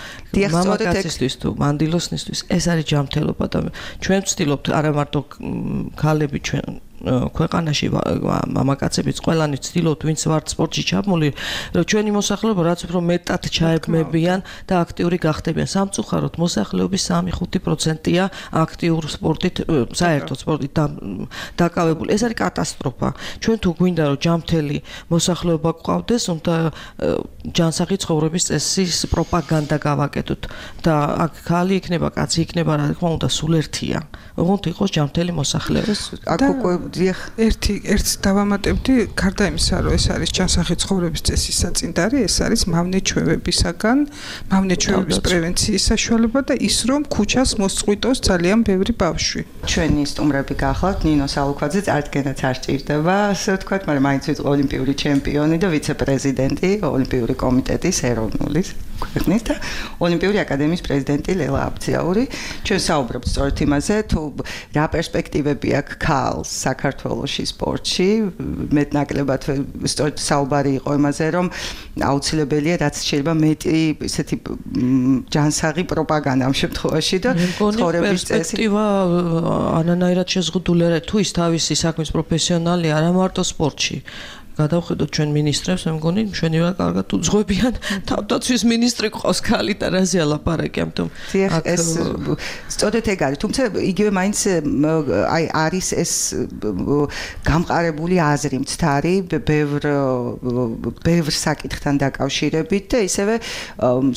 მამაკაცისთვის თუ მანდილოსნისთვის ეს არის ჯანმრთელობა და ჩვენ ვცდილობთ არა მარტო ქალები ჩვენ ქვეყანაში მამაკაცებიც ყველანი ცდილობთ ვინც ვართ სპორტში ჩაბმული რომ ჩვენი მოსახლეობა რაც უფრო მეტად ჩაებმებიან და აქტიური გახდებიან სამწუხაროდ მოსახლეობის 3-5%-ია აქტიურ სპორტით საერთოდ სპორტით დაკავებული ეს არის კატასტროფა ჩვენ თუ გვინდა რომ ჯანმრთელი მოსახლეობა გვყავდეს უნდა ჯანსაღი ცხოვრების წესის პროპაგანდა გავაკეთოთ და აქ ხალი იქნება კაცი იქნება რა თქმა უნდა სულ ერთია ოღონდ იყოს ჯანმრთელი მოსახლეობა აქ უკვე ერთ დავამატებდი გარდა იმისა რომ ეს არის ჯანსაღი ცხოვრების წესის საწინდარი ეს არის მავნე-ჩვევებისაგან მავნე-ჩვევების პრევენციის საშუალება და ის რომ ქუჩას მოსწყვიტოს ძალიან ბევრი ბავშვი ჩვენი სტუმრები გახლავთ ნინო სალუქვაძე წარდგენაც არ სჭირდება ასე ვთქვათ მაგრამ მაინც ვიყო ოლიმპიური ჩემპიონი და ვიცე-პრეზიდენტი ოლიმპიური კომიტეტის ეროვნულის ქვეყნის და ოლიმპიური აკადემიის პრეზიდენტი ლელა აბძიაური ჩვენ საუბრობთ სწორედ იმაზე თუ რა პერსპექტივები აქვს ქალს საქართველოში სპორტში მეტნაკლებად სწორედ საუბარი იყო იმაზე რომ აუცილებელია რაც შეიძლება მეტი ესეთი ჯანსაღი პროპაგანდა ამ შემთხვევაში და ცხოვრების წესი პერსპექტივა ანანაირად შეზღუდული არა თუ ის თავისი საქმის პროფესიონალი არა მარტო სპორტში გადავხედოთ ჩვენ მინისტრებს, მე მგონი მშვენივრად კარგად უძღვებიან თავდაცვის მინისტრი ყავს ქალი და რაზე ალაპარაკი ამიტომ ეს სწორედ ეგ არის თუმცა იგივე მაინც აი არის ეს გამყარებული აზრი მცდარი ბევრ საკითხთან დაკავშირებით და ისევე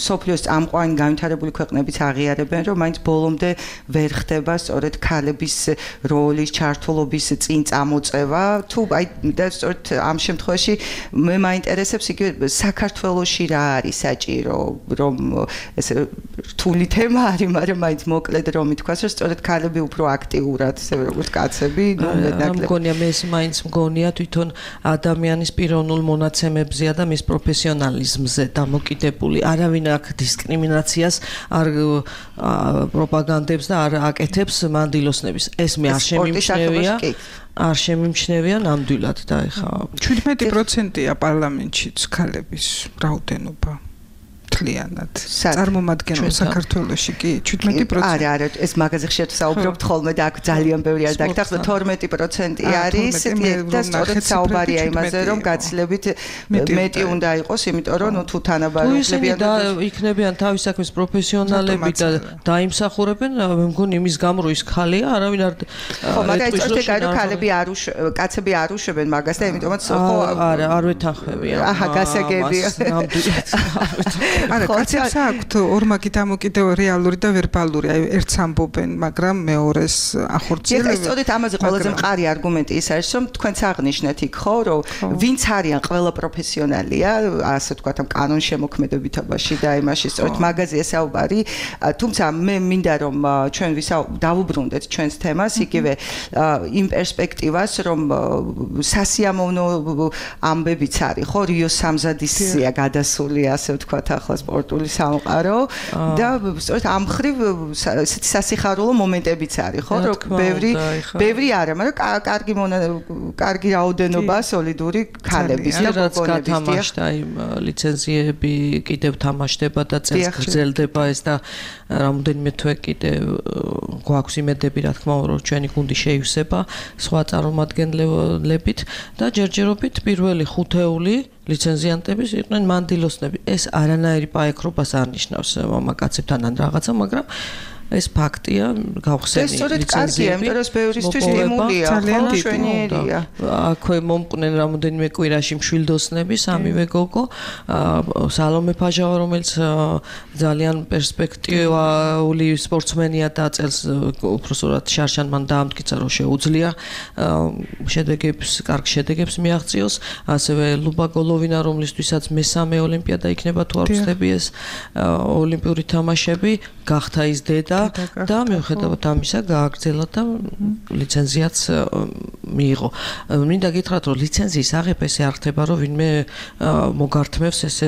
სოფლიოს წამყვანი განვითარებული ქვეყნებიც აღიარებენ რომ მაინც ბოლომდე ვერ ხდება სწორედ ქალების როლის ჩართულობის წინ წამოწევა თუ აი და სწორედ ამ შემთხვევაში მე მაინტერესებს იგივე საქართველოში რა არის საჭირო, რომ ესე რთული თემა არის, მაგრამ მაინც მოკლედ რომ ითქვას, რომ სწორედ ქალები უფრო აქტიურად, ესე როგორც კაცები, მგონია მე ეს მაინც მგონია თვითონ ადამიანის პიროვნულ მონაცემებზეა და მის პროფესიონალიზმზე დამოკიდებული. არავინ აქ დისკრიმინაციას არ პროპაგანდებს და არ აკეთებს მანდილოსნების. ეს მე არ შემიმჩნევია. არ შემიმჩნევია ნამდვილად და ეხა 17%-ია პარლამენტშიც ქალების რაოდენობა. მთლიანად. წარმომადგენლ საქართველოში კი 17%. არა, ეს მაგაზე ხშირად საუბრობთ ხოლმე და აქ ძალიან ბევრი არ დაგახსნა 12% არის და სწორედ საუბარია იმაზე, რომ გაცილებით მეტი უნდა იყოს, იმიტომ რომ თუ თანაბარებლებიან და იქნებიან თავის საქმის პროფესიონალები და დაიმსახურებენ, მე მგონი იმის გამო ის ხალია, არავინ არ ხო, მაგრამ სწორედ აი რომ ქალები არ კაცები არ უშვებენ მაგას და იმიტომაც ხო არ ვეთანხმებიან. აჰა, გასაგებია. არა, კაცებს აქვთ ორმაგი დამოკიდებული რეალური და ვერბალური, აი ერთს ამბობენ, მაგრამ მეორეს ახორციელებენ. ეს სწორედ ამაზე ყველაზე მყარი არგუმენტი ის არის, რომ თქვენც აღნიშნეთ იქ ხო, რომ ვინც არიან ყველა პროფესიონალია, ასე ვთქვათ, ამ კანონშემოქმედებითობაში და იმაში სწორედ მაგაზია საუბარი, თუმცა მე მინდა რომ ჩვენ დავუბრუნდეთ ჩვენს თემას, იგივე იმ პერსპექტივას, რომ სასიამოვნო ამბებიც არის, ხო, რიოს სამზადისია გადასული, ასე ვთქვათ, ახლა სპორტული სამყარო და სწორედ ამ ხრივ ესეთი სასიხარულო მომენტებიც არის, ხო, რომ ბევრი არა, მაგრამ კარგი რაოდენობა სოლიდური ქალების და გოგონების თამაშდა იმ ლიცენზიები კიდევ თამაშდება და წელს გრძელდება ეს და რამოდენიმე თვე კიდევ გვაქვს იმედები, რა თქმა უნდა, რომ ჩვენი გუნდი შეივსება სხვა წარმომადგენლებით და ჯერჯერობით პირველი ხუთეული ლიცენზიანტების იყვნენ მანდილოსნები. ეს არანაირი პაექრობას არ ნიშნავს მამაკაცებთან ან რაღაცა, მაგრამ ეს ფაქტია, გავხსენი ლიცენზიები. ეს ბევრისთვის სტიმულია, ხო, მშვენიერია. აქვე მომყვნენ რამოდენიმე კვირაში მშვილდოსნები, სამივე გოგო, სალომე ფაჟავა, რომელიც ძალიან პერსპექტიული სპორტსმენია და წელს უბრალოდ შარშანმან დაამტკიცა, რომ შეუძლია კარგ შედეგებს მიაღწიოს. ასევე ლუბა გოლოვინა, რომლისთვისაც მესამე ოლიმპიადა იქნება თუ არ ვცდები ეს ოლიმპიური თამაშები, გახდა ის დედა და მიუხედავად ამისა გააგრძელა და ლიცენზიაც მიიღო. მინდა გითხრათ, რომ ლიცენზიის აღება ესე არ ხდება, რომ ვინმე მოგართმევს ესე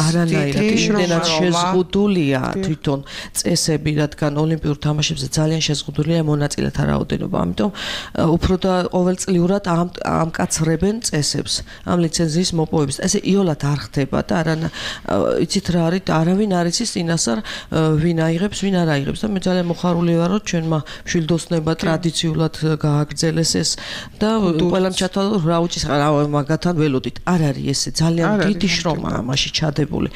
არანაირად იმდენად შეზღუდულია თვითონ წესები, რადგან ოლიმპიურ თამაშებზე ძალიან შეზღუდულია მონაწილეთა რაოდენობა. ამიტომ უფრო და ყოველწლიურად ამკაცრებენ წესებს ამ ლიცენზიის მოპოვების. ესე იოლად არ ხდება და იცით რა არის, არავინ არ იცის წინასწარ ვინ აიღებს, ვინ არ აიღებს. და მე ძალიან მოხარული ვარ, რომ ჩვენმა მშვილდოსნებმა ტრადიციულად გააგრძელეს ეს და ყველამ ჩათვალა, რა უჭის მაგათთან ველოდით. არ არის ესე ძალიან დიდი შრომაა ამაში ჩადებული.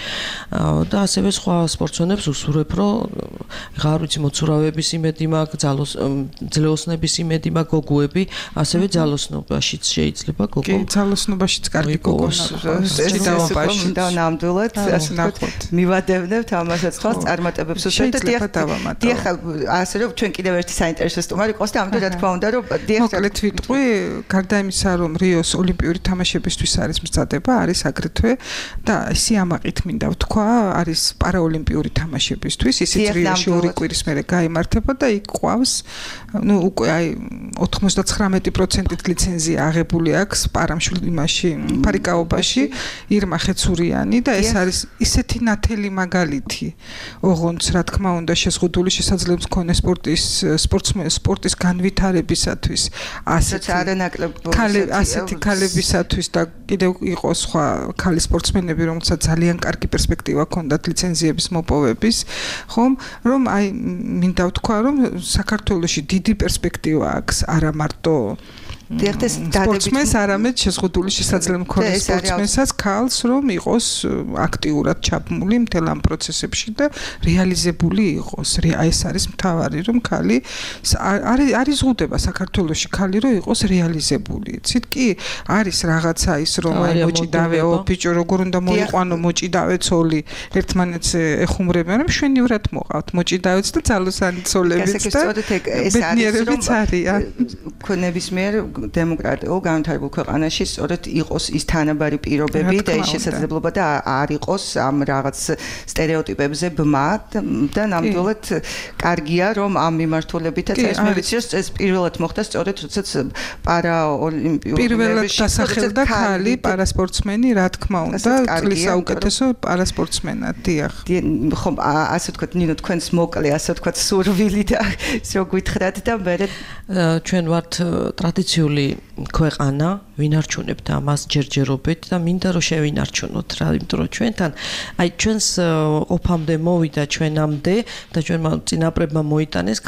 და ასევე სხვა სპორტსმენებს უსურვებ, რომ არ ვიცი მოცურავეების იმედი მაქვს, ძლეოსნების იმედი მაქვს, გოგოები, ასევე ძალოსნობაშიც შეიძლება გოგო. კი, ძალოსნობაშიც კარგი გოგოს. და ნამდვილად ასე ვთქვათ, მივადევნებთ ამასაც თვალს წარმატებებს უსვამთ. დიახ, ასე რომ ჩვენ კიდევ ერთი საინტერესო სტუმარი ყავს და ამიტომ რა თქმა უნდა, რომ მოკლედ ვიტყვი, გარდა იმისა, რომ რიოს ოლიმპიური თამაშებისთვის არის მზადება, არის აგრეთვე და სიამაყით მინდა ვთქვა, არის პარაოლიმპიური თამაშებისთვის, ისიც რიოში 2 კვირის მერე გაიმართება და იქ ყავს, უკვე აი 99%-ით ლიცენზია აღებული აქვს პარამშვილდიმაში, ფარიკაობაში, ირმა ხეცურიანი და ეს არის ისეთი ნათელი მაგალითი, ოღონდ რა თქმა უნდა შეზღუდული შესაძლებლობის მქონე სპორტის განვითარებისათვის, ასეთი ქალებისათვის და კიდევ იყოს სხვა ქალი სპორტსმენები, რომელსაც ძალიან კარგი პერსპექტივა ჰქონდათ ლიცენზიების მოპოვების, ხომ, რომ აი მინდა ვთქვა, რომ საქართველოში დიდი პერსპექტივა აქვს, არა მარტო სპორტსმენს, არამედ შეზღუდული შესაძლებლობა მქონე სპორტსმენსაც ქალს, რომ იყოს აქტიურად ჩაბმული მთელ ამ პროცესებში და რეალიზებული იყოს. ეს არის მთავარი, რომ ქალი არის ზღუდება საქართველოში ქალი, რომ იყოს რეალიზებული. იცით კი, არის რაღაცა ის, რომ აი მოჭიდავეო ბიჭო, როგორ უნდა მოიყვანო მოჭიდავე ცოლი, ერთმანეთს ეხუმრებიან, რომ შვენივრად მოყავთ მოჭიდავეც და ძალოსანი ცოლებიც და ბედნიერებიც არიან. ქონების მიერ დემოკრატიულ განვითარებულ ქვეყანაში სწორედ იყოს ის თანაბარი პირობები და ის შესაძლებლობა და არ იყოს ამ რაღაც სტერეოტიპებზე ბმა და ნამდვილად კარგია რომ ამ მიმართულებითაც ეს მე ვიცი რომ ეს პირველად მოხდა სწორედ როდესაც პარაოლიმპიურ პირველად დასახელდა ქალი პარასპორტსმენი რა თქმა უნდა წლის საუკეთესო პარასპორტსმენად დიახ ხო ასე ვთქვათ ნინო თქვენს მოკლე ასე ვთქვათ სურვილი და ისე გითხრათ და მე ჩვენ ვართ ტრადიციული ქვეყანა ვინარჩუნებთ ამას ჯერჯერობით და მინდა რომ შევინარჩუნოთ რა იმიტომ რომ ჩვენთან აი ჩვენს ყოფამდე მოვიდა ჩვენამდე და ჩვენმა წინაპრებმა მოიტანეს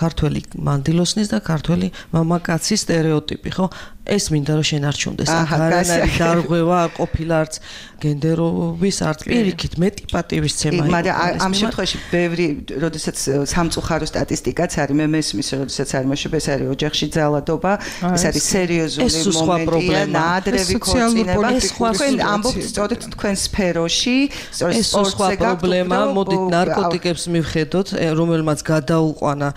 ქართველი მანდილოსნის და ქართველი მამაკაცის სტერეოტიპი ხო ეს მინდა რომ შენარჩუნდეს არანაირი დარღვევა არ ყოფილა არც გენდერობის არც პირიქით მეტი პატივისცემა იყო მაგრამ ამ შემთხვევაში ბევრი როდესაც სამწუხარო სტატისტიკაც არის მე მესმის როდესაც არის მოშობ ეს არის ოჯახში ძალადობა ეს არის სერიოზული მომენტია ნაადრევი ქორწინება თქვენ ამბობთ სწორედ თქვენ სფეროში სწორედ სპორტზე პრობლემა მოდით ნარკოტიკებს მივხედოთ რომელმაც გადაუყვანა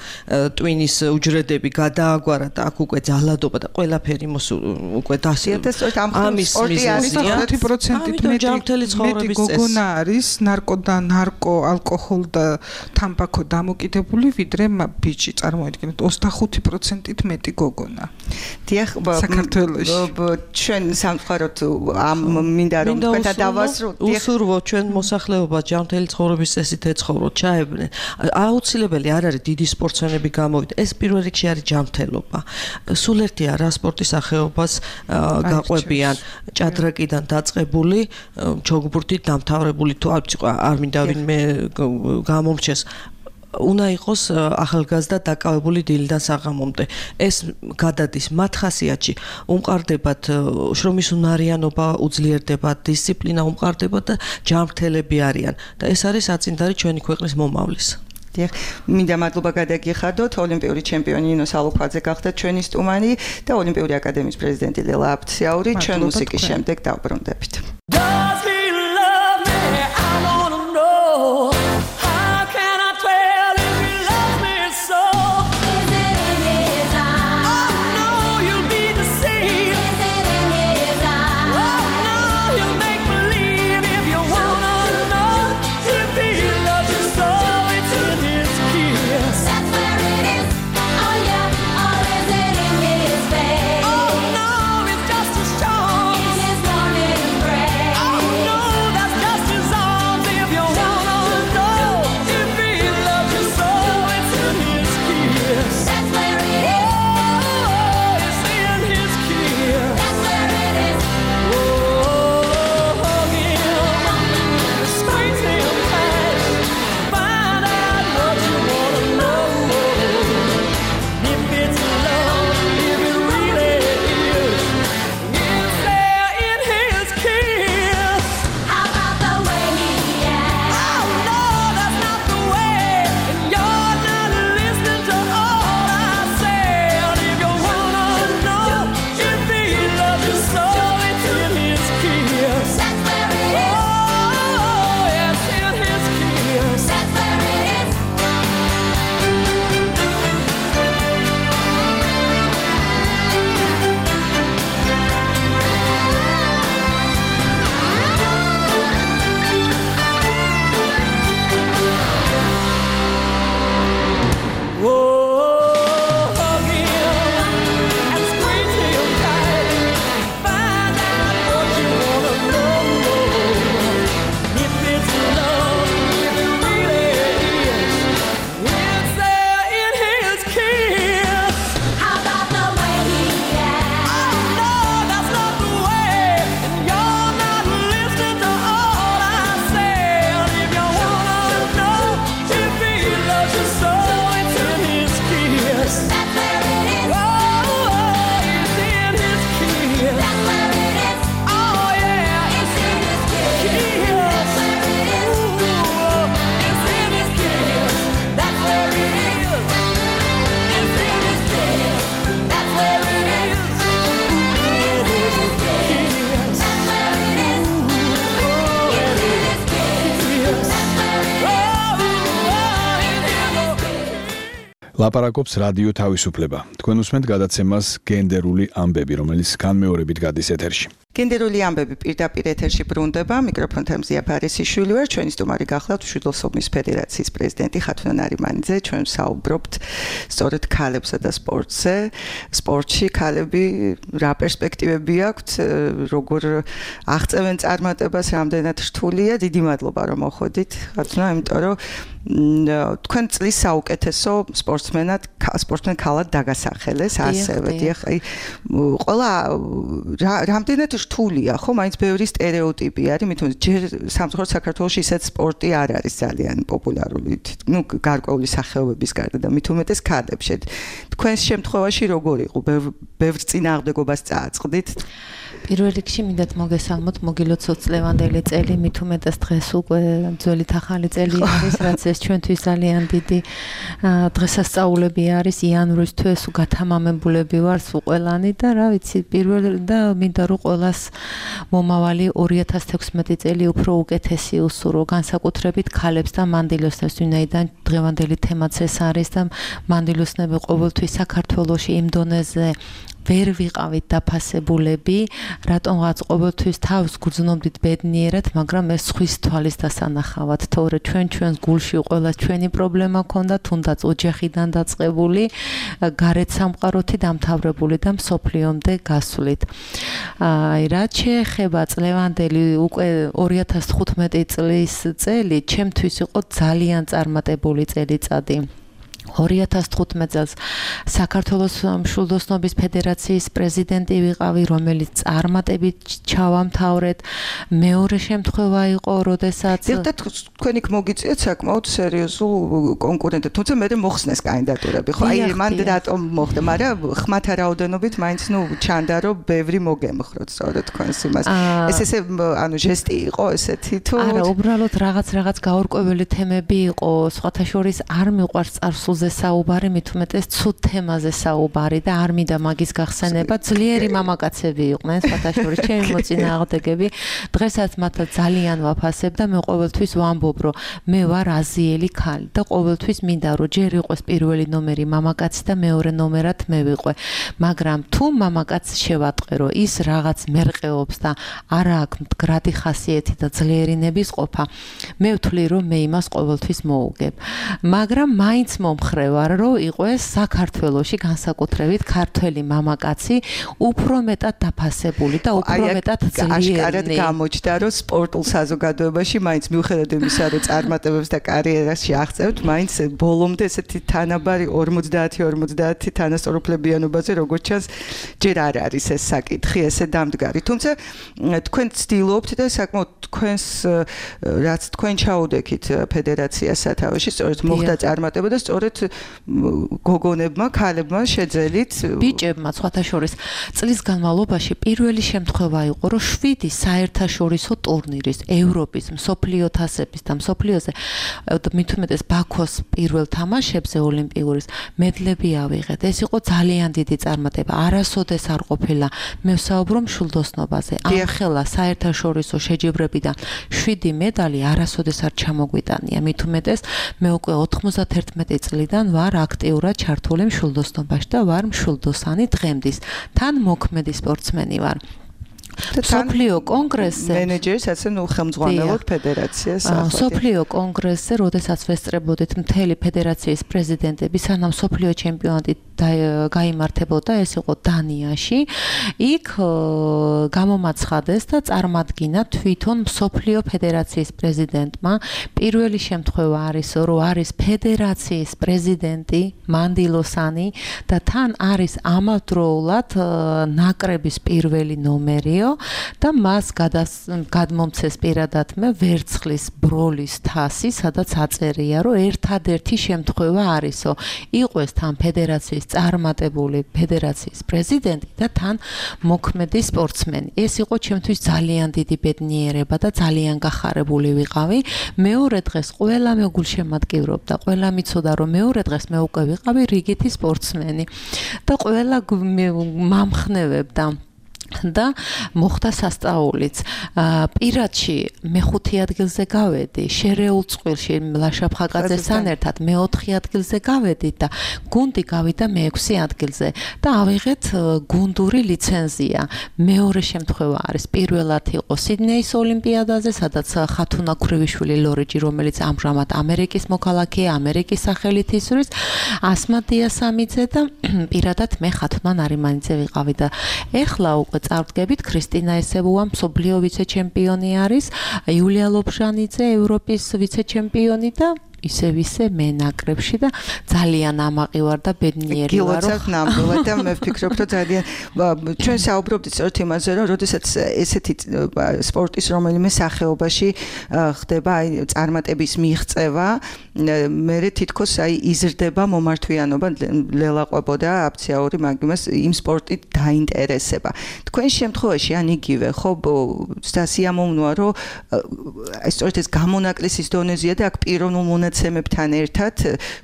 ტვინის უჯრედები გადააგვარა და აქ უკვე ძალადობა და ყველაფერი უკვე ამის სპორტი არის 5%-ით მეტი გოგონა არის ნარკო ალკოჰოლ და თამბაქო დამოკიდებული ვიდრე ბიჭი წარმოიდგინეთ 25%-ით მეტი გოგონა დიახ საქართველოში ჩვენ სამწუხაროდ ამ მინდა რომ თქვენთან დავასრულოთ უსურვო ჩვენ მოსახლეობა ჯანმრთელი ცხოვრების წესით ეცხოვროთ ჩაებნენ აუცილებელი არ არის დიდი სპორტსმენები გამოვიდა ეს პირველ რიგში არის ჯანმრთელობა სულ ერთია რა სპორტის სახეობას გაყვებიან ჭადრაკიდან დაწყებული ჩოგბურთით დამთავრებული თუ არ მინდა ვინმე გამომრჩეს უნდა იყოს ახალგაზრდა დაკავებული დილიდან საღამომდე ეს გადადის მათ ხასიათში უმყარდებათ შრომის უნარიანობა უძლიერდება დისციპლინა უმყარდება და ჯანმრთელები არიან და ეს არის საწინდარი ჩვენი ქვეყნის მომავლის დიახ, მინდა მადლობა გადაგიხადოთ ოლიმპიური ჩემპიონი ნინო სალოქვაძე გახდა ჩვენი სტუმარი და ოლიმპიური აკადემიის პრეზიდენტი ლელა აფციაური ჩვენ მუსიკის შემდეგ დავბრუნდებით. Oh ლაპარაკობს რადიო თავისუფლება. თქვენ უსმენთ გადაცემას გენდერული ამბები, რომელიც განმეორებით გადის ეთერში. გენდერული ამბები პირდაპირ ეთერში ბრუნდება. მიკროფონთან მზია ფარესიშვილი ვარ. ჩვენი სტუმარი გახლავთ მშვიდობსობის ფედერაციის პრეზიდენტი ხათუნა ნარიმანიძე. ჩვენ საუბრობთ სწორედ ქალებსა და სპორტზე. სპორტში ქალები რა პერსპექტივები აქვთ, როგორ აღწევენ წარმატებას, რამდენად რთულია. დიდი მადლობა რომ მოხვედით, ხათუნა, იმიტომ რომ თქვენ წლის საუკეთესო სპორტსმენ ქალად დაგასახელეს ასევე. აი ყველა რამდენად რთულია, ხო, მაინც ბევრი სტერეოტიპი არის, მით უმეტეს ჯერ სამწუხაროდ საქართველოში ისეთ სპორტი არ არის ძალიან პოპულარული, გარკვეული სახეობების გარდა და მით უმეტეს ქალებში. თქვენს შემთხვევაში როგორ იყო? ბევრ წინააღმდეგობას წააწყდით? პირველ რიგში მინდათ მოგესალმოთ, მოგილოცოთ წლევანდელი წელი, მით უმეტეს დღეს უკვე ძველი ახალი წელი არის, რაც ეს ჩვენთვის ძალიან დიდი დღესასწაულები არის, იანვრის თვეს გათამამებულები ვარ სულ ყველანი და რა ვიცი, პირველ და მინდა რომ ყველას მომავალი 2016 წელი უფრო უკეთესი უსურო, განსაკუთრებით ქალებს და მანდილოსნებს, ვინაიდან დღევანდელი თემაც ეს არის და მანდილოსნები ყოველთვის საქართველოში იმ დონეზე ვერ ვიყავით დაფასებულები, რატომღაც ყოველთვის თავს გრძნობდით ბედნიერად, მაგრამ ეს სხვის თვალის დასანახავად, თორე ჩვენს გულში ყოველას ჩვენი პრობლემა ქონდა, თუნდაც ოჯახიდან დაწყებული, გარეთ სამყაროთი დამთავრებული და მსოფლიომდე გასვლით. აი, რაც შეეხება წლევანდელი უკვე 2015 წლის წელი, ჩემთვის იყო ძალიან წარმატებული წელიწადი. 2015 წელს საქართველოს მშვილდოსნობის ფედერაციის პრეზიდენტი ვიყავი, რომელიც წარმატებით ჩავამთავრეთ. მეორე შემთხვევა იყო, როდესაც თქვენ იქ მოგიწიეთ საკმაოდ სერიოზულ კონკურენტად, თუმცა მე მოხსნეს კანდიდატურები, ხო? აი მან რატომ მოხდა, მაგრამ ხმათა რაოდენობით მაინც ჩანდა, რომ ბევრი მოგემხროთ სწორედ თქვენს იმას. ესე ანუ ჟესტი იყო ესეთი თუ არა, უბრალოდ რაღაც გაურკვეველი თემები იყო, სხვათა შორის არ მიყვარს წარსულზე საუბარი, მით უმეტეს ცუდ თემაზე საუბარი და არ მინდა მაგის გახსენება. ძლიერი მამაკაცები იყვნენ, სხვათა შორის ჩემი მოწინააღმდეგები. დღესაც მათაც ძალიან ვაფასებ და მე ყოველთვის ვამბობ, რომ მე ვარ აზიელი ქალი და ყოველთვის მინდა რომ ჯერ იყოს პირველი ნომერი მამაკაცი და მეორე ნომერად მე ვიყვე. მაგრამ თუ მამაკაცს შევატყე, რომ ის რაღაც მერყეობს და არა აქვს მდგრადი ხასიათი და ძლიერინების ყოფა, მე ვთვლი, რომ მე იმას ყოველთვის მოუგებ. მაგრამ მაინც ხრევარ, რომ იყოს საქართველოში განსაკუთრებით ქართველი მამაკაცი უფრო მეტად დაფასებული და უფრო მეტად ძლიერი. აშკარად გამოჩნდა, რომ სპორტულ საზოგადოებაში მაინც მიუხედავად იმისა, რომ წარმატებებს და კარიერაში აღწევთ, მაინც ბოლომდე ესეთი თანაბარი 50-50 თანასწორუფლებიანობაზე, როგორც ჩანს, ჯერ არ არის ეს საკითხი ესე დამდგარი. თუმცა თქვენ ცდილობთ და საკმაოდ თქვენს რაც თქვენ ჩაუდექით ფედერაციას სათავეში, სწორედ მოხდა წარმატება და სწორედ გოგონებმა, ქალებმა შეძელით ბიჭებმა სხვათა შორის წლის განმავლობაში პირველი შემთხვევა იყო, რომ 7 საერთაშორისო ტურნირის, ევროპის, მსოფლიო თასების და მსოფლიოზე მით უმეტეს ბაქოს პირველ თამაშებზე ოლიმპიურის მედლები ავიღეთ. ეს იყო ძალიან დიდი წარმატება. არასოდეს არ ყოფილა. მე ვსაუბრო მშვილდოსნობაზე. ამხელა საერთაშორისო შეჯიბრებიდან 7 მედალი არასოდეს არ ჩამოგვიტანია. მით უმეტეს მე უკვე 91 წლიდან ვარ აქტიურად ჩართული მშვილდოსნობაში და ვარ მშვილდოსანი დღემდის. თან მოქმედი სპორტსმენი ვარ. სოფლიო კონგრესზე მენეჯერის ასე ხელმძღვანელობ ფედერაციას. სოფლიო კონგრესზე, როდესაც ვესწრებოდით მთელი ფედერაციის პრეზიდენტები, სანამ სოფლიო ჩემპიონატი გაიმართებოდა, ეს იყო დანიაში. იქ გამომაცხადეს და წარმადგინა თვითონ სოფლიო ფედერაციის პრეზიდენტმა. პირველი შემთხვევა არის, რომ არის ფედერაციის პრეზიდენტი მანდილოსანი და თან არის ამავდროულად ნაკრების პირველი ნომერი და მას გადმომცეს პირადად მე ვერცხლის ბროლის თასი, სადაც აწერია, რომ ერთადერთი შემთხვევა არისო, იყოს თან ფედერაციის წარმატებული ფედერაციის პრეზიდენტი და თან მოქმედი სპორტსმენი. ეს იყო ჩემთვის ძალიან დიდი ბედნიერება და ძალიან გახარებული ვიყავი. მეორე დღეს ყველა მე გულშემატკივრობდა, ყველა მიცოდა, რომ მეორე დღეს მე უკვე ვიყავი რიგითი სპორტსმენი და ყველა მამხნევებდა. და მოხდა სასწაულიც. პირადში მე-5 ადგილზე გავედი, შერეულ წყვილში ლაშა ფხაკაძესთან ერთად მე-4 ადგილზე გავედი და გუნდი გავიდა მე-6 ადგილზე და ავიღეთ გუნდური ლიცენზია. მეორე შემთხვევა არის პირველად იყო სიდნეის ოლიმპიადაზე, სადაც ხათუნა ქრივიშვილი ლორიჯი, რომელიც ამჟამად ამერიკის მოქალაქეა, ამერიკის სახელით ისვრის, ასმა დიასამიძე და პირადად მე ხათუნა ნარიმანიძე ვიყავი და ეხლა უკვე წარდგებით ქრისტინა ესებუა მსოფლიო ვიცე-ჩემპიონი არის, იულია ლობჟანიძე ევროპის ვიცე-ჩემპიონი და ისე მე ნაკრებში და ძალიან ამაყი ვარ და ბედნიერი ვარ. გილოცავთ ნამდვილად და მე ვფიქრობ, რომ ძალიან ჩვენ საუბრობთ სწორედ იმაზე, რომ როდესაც ესეთი სპორტის რომელიმე სახეობაში ხდება აი წარმატების მიღწევა, მე თითქოს აი იზრდება მომართვიანობა, ლელაყვებოდა აფციაური მაგიმას იმ სპორტით დაინტერესება. თქვენ შემთხვევაში ან იგივე ხო სიამოვნოა, რომ აი სწორედ ეს გამონაკლისის დონეზეა და აქ პიროვნულ მონაცემებთან ერთად,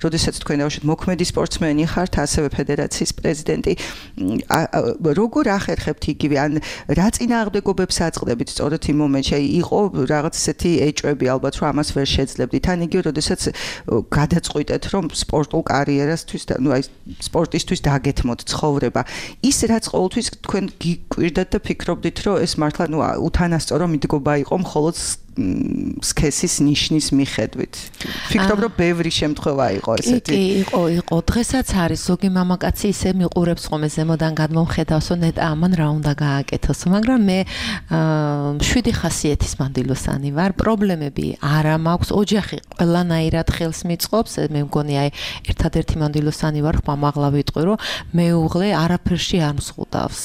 როდესაც თქვენ დავუშვით მოქმედი სპორტსმენი ხართ, ასევე ფედერაციის პრეზიდენტი, როგორ ახერხებთ იგივე, ან რა წინააღმდეგობებს აწყდებით სწორედ იმ მომენტში, აი იყო რაღაც ესეთი ეჭვები ალბათ, რომ ამას ვერ შეძლებდით, ან იგივე, როდესაც გადაწყვიტეთ, რომ სპორტულ კარიერასთვის, ну აი სპორტისთვის დაგეთმოთ ცხოვრება. ის რაც ყოველთვის თქვენ გიკვირდათ და ფიქრობდით, რომ ეს მართლა ну უთანასწორო მიდგომა იყო მხოლოდ სქესის ნიშნის მიხედვით. ფიქრობ, რომ ბევრი შემთხვევა იყო ესეთი. იყო. დღესაც არის ზოგი მამაკაცი ისე მიყურებს ხოლმე ზემოდან გადმომხედავს, რომ ნეტა ამან რა უნდა გააკეთოს, მაგრამ მე 7 ხასიათის მანდილოსანი ვარ. პრობლემები არა მაქვს, ოჯახი ყველანაირად ხელს მიწყობს. მე მგონი აი ერთადერთი მანდილოსანი ვარ, მამაღლა ვიტყვი, რომ მეუღლე არაფერში არ მსხუდავს.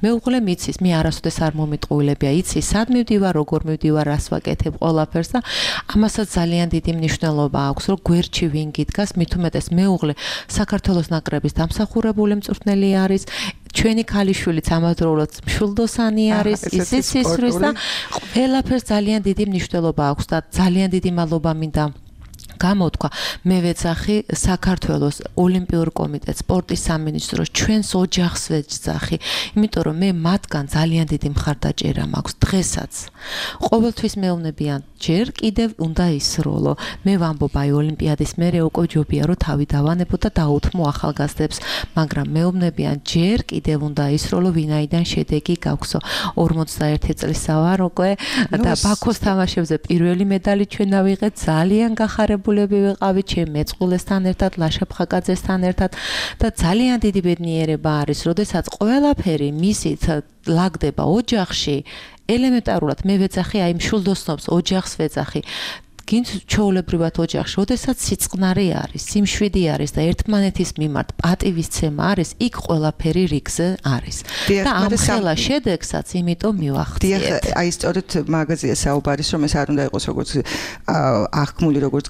მეუღლე მიცის, მე არასოდეს არ მომიტყუილებია, იცი, სად მივდივარ, როგორ მივდივარ, რას ვაკეთებ ყველაფერს და ამასაც ძალიან დიდი მნიშვნელობა აქვს, რომ გვერდში ვინ გიდგას, მით უმეტეს მეუღლე საქართველოს ნაკრების დამსახურებული მწვრთნელი არის, ჩვენი ქალიშვილიც ამავდროულად მშვილდოსანი არის, ისიც ისვრის და ყველაფერს ძალიან დიდი მნიშვნელობა აქვს და ძალიან დიდი მადლობა მინდა გამოთქვა. მე ვეძახი საქართველოს ოლიმპიურ კომიტეტს, სპორტის სამინისტროს, ჩვენს ოჯახს ვეძახი, იმიტომ რომ მე მათგან ძალიან დიდი მხარდაჭერა მაქვს დღესაც. ყოველთვის მეუბნებიან, ჯერ კიდევ უნდა ისროლო. მე ვამბობ, აი ოლიმპიადის მერე უკვე ჯობია რომ თავი დავანებო და დაუთმო ახალგაზრდებს, მაგრამ მეუბნებიან, ჯერ კიდევ უნდა ისროლო, ვინაიდან შედეგი გაქვსო. 41 წლის ვარ უკვე და ბაქოს თამაშებზე პირველი მედალი ჩვენ ავიღეთ, ძალიან გახარებული ვიყავი ჩემ მეწყვილესთან ერთად, ლაშა ფხაკაძესთან ერთად და ძალიან დიდი ბედნიერება არის, როდესაც ყველაფერი მისით ლაგდება ოჯახში, ელემენტარულად მე ვეძახი აი მშვილდოსნობს, ოჯახს ვეძახი. გინც ჩვეულებრივად ოჯახში, როდესაც სიწყნარი არის, სიმშვიდი არის და ერთმანეთის მიმართ პატივისცემა არის, იქ ყველაფერი რიგზე არის. და ამ ხელა შედეგსაც იმიტომ მივახციეთ. აი სწორედ მაგაზია საუბარის, რომ ეს არ უნდა იყოს როგორც აღქმული, როგორც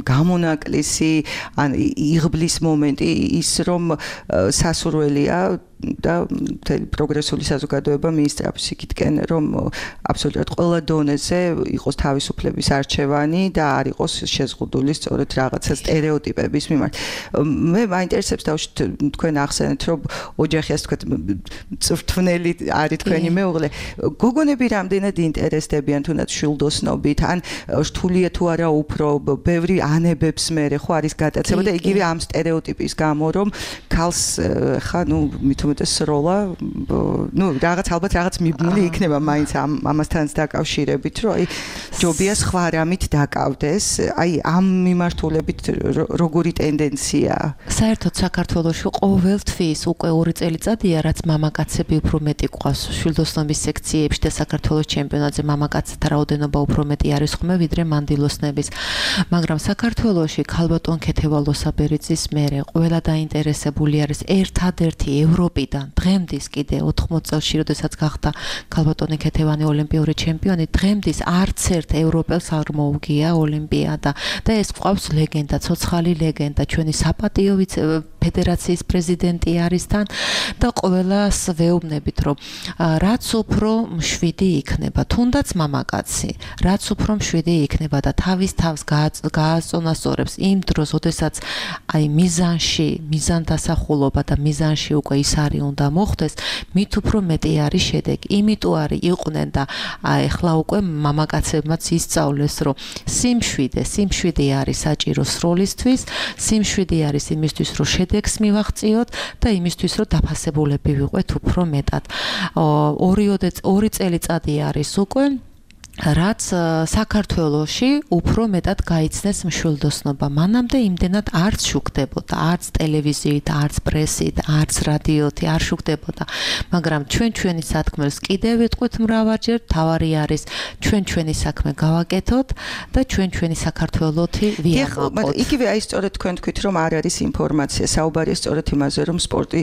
გამონაკლისი, ან იღბლის მომენტი, ის რომ სასურველია და პროგრესული საზოგადოება მიისწრაფოს იქითკენ, რომ აბსოლუტურად ყველა დონეზე იყოს თავისუფლების არჩევანი და არ იყოს შეზღუდული სწორედ რაღაცა სტერეოტიპების მიმართ. მე მაინტერესებს დავუშვით თქვენ ახსენეთ, რომ ოჯახი ასე თქვა მწვრთნელი არის თქვენი მეუღლე. გოგონები რამდენად ინტერესდებიან თუნდაც შვილდოსნობით, ან რთულია თუ არა უფრო ბევრი ანებებს მერე ხო არის გატაცება და იგივე ამ სტერეოტიპის გამო, რომ ქალს ხა ნუ მithumetes როლა ნუ რაღაც ალბათ რაღაც მიბნული იქნება მაინც ამასთან დაკავშირებით, რომ აი ჯობია სხვა რამით დაკავდეს, აი ამ მიმართულებით როგორი ტენდენცია? საერთოდ საქართველოში ყოველთვის უკვე 2 წელიწადია, რაც მამაკაცები უფრო მეტი ყავს შვილდოსნობის სექციებში და საქართველოს ჩემპიონატზე მამაკაცთა რაოდენობა უფრო მეტი არის ხომ ვიდრე მანდილოსნების. მაგრამ საქართველოში ქალბატონ ქეთევან ლოსაბერიძის მერე ყველა დაინტერესებული არის ერთადერთი ევროპიდან დღემდის კიდე 80 წელში, როდესაც გახდა ქალბატონი ქეთევანი ოლიმპიური ჩემპიონი, დღემდის არც ერთ ევროპელს არ მოუგია ოლიმპიადა და ეს ყავს ლეგენდა, ცოცხალი ლეგენდა, ჩვენი საპატიო ფედერაციის პრეზიდენტი არის თან და ყველას ვეუბნებით, რომ რაც უფრო მშვიდი იქნება, თუნდაც მამაკაცი, რაც უფრო მშვიდი იქნება და თავის თავს გააწონასწორებს იმ დროს, როდესაც აი მიზანდასახულობა და მიზანში უკვე ის არის უნდა მოხდეს, მით უფრო მეტი არის შედეგი. იმიტომ არის იყვნენ და ეხლა უკვე მამაკაცებმაც ისწავლეს, რომ სიმშვიდე არის საჭირო სროლისთვის, სიმშვიდე არის იმისთვის, რომ შედეგს მივაღწიოთ და იმისთვის, რომ დაფასებულები ვიყვეთ უფრო მეტად. 2 წელიწადი არის უკვე რაც საქართველოში უფრო მეტად გაიცნეს მშვილდოსნობა. მანამდე იმდენად არც შუქდებოდა, არც ტელევიზიით, არც პრესით, არც რადიოთი არ შუქდებოდა. მაგრამ ჩვენი სათქმელს კიდევ ვიტყვით მრავალჯერ, თავარი არის ჩვენი საქმე გავაკეთოთ და ჩვენი საქართველოთი ვიამაყოთ. იგივე აი სწორედ თქვენ თქვით, რომ არ არის ინფორმაცია, საუბარია სწორედ იმაზე, რომ სპორტი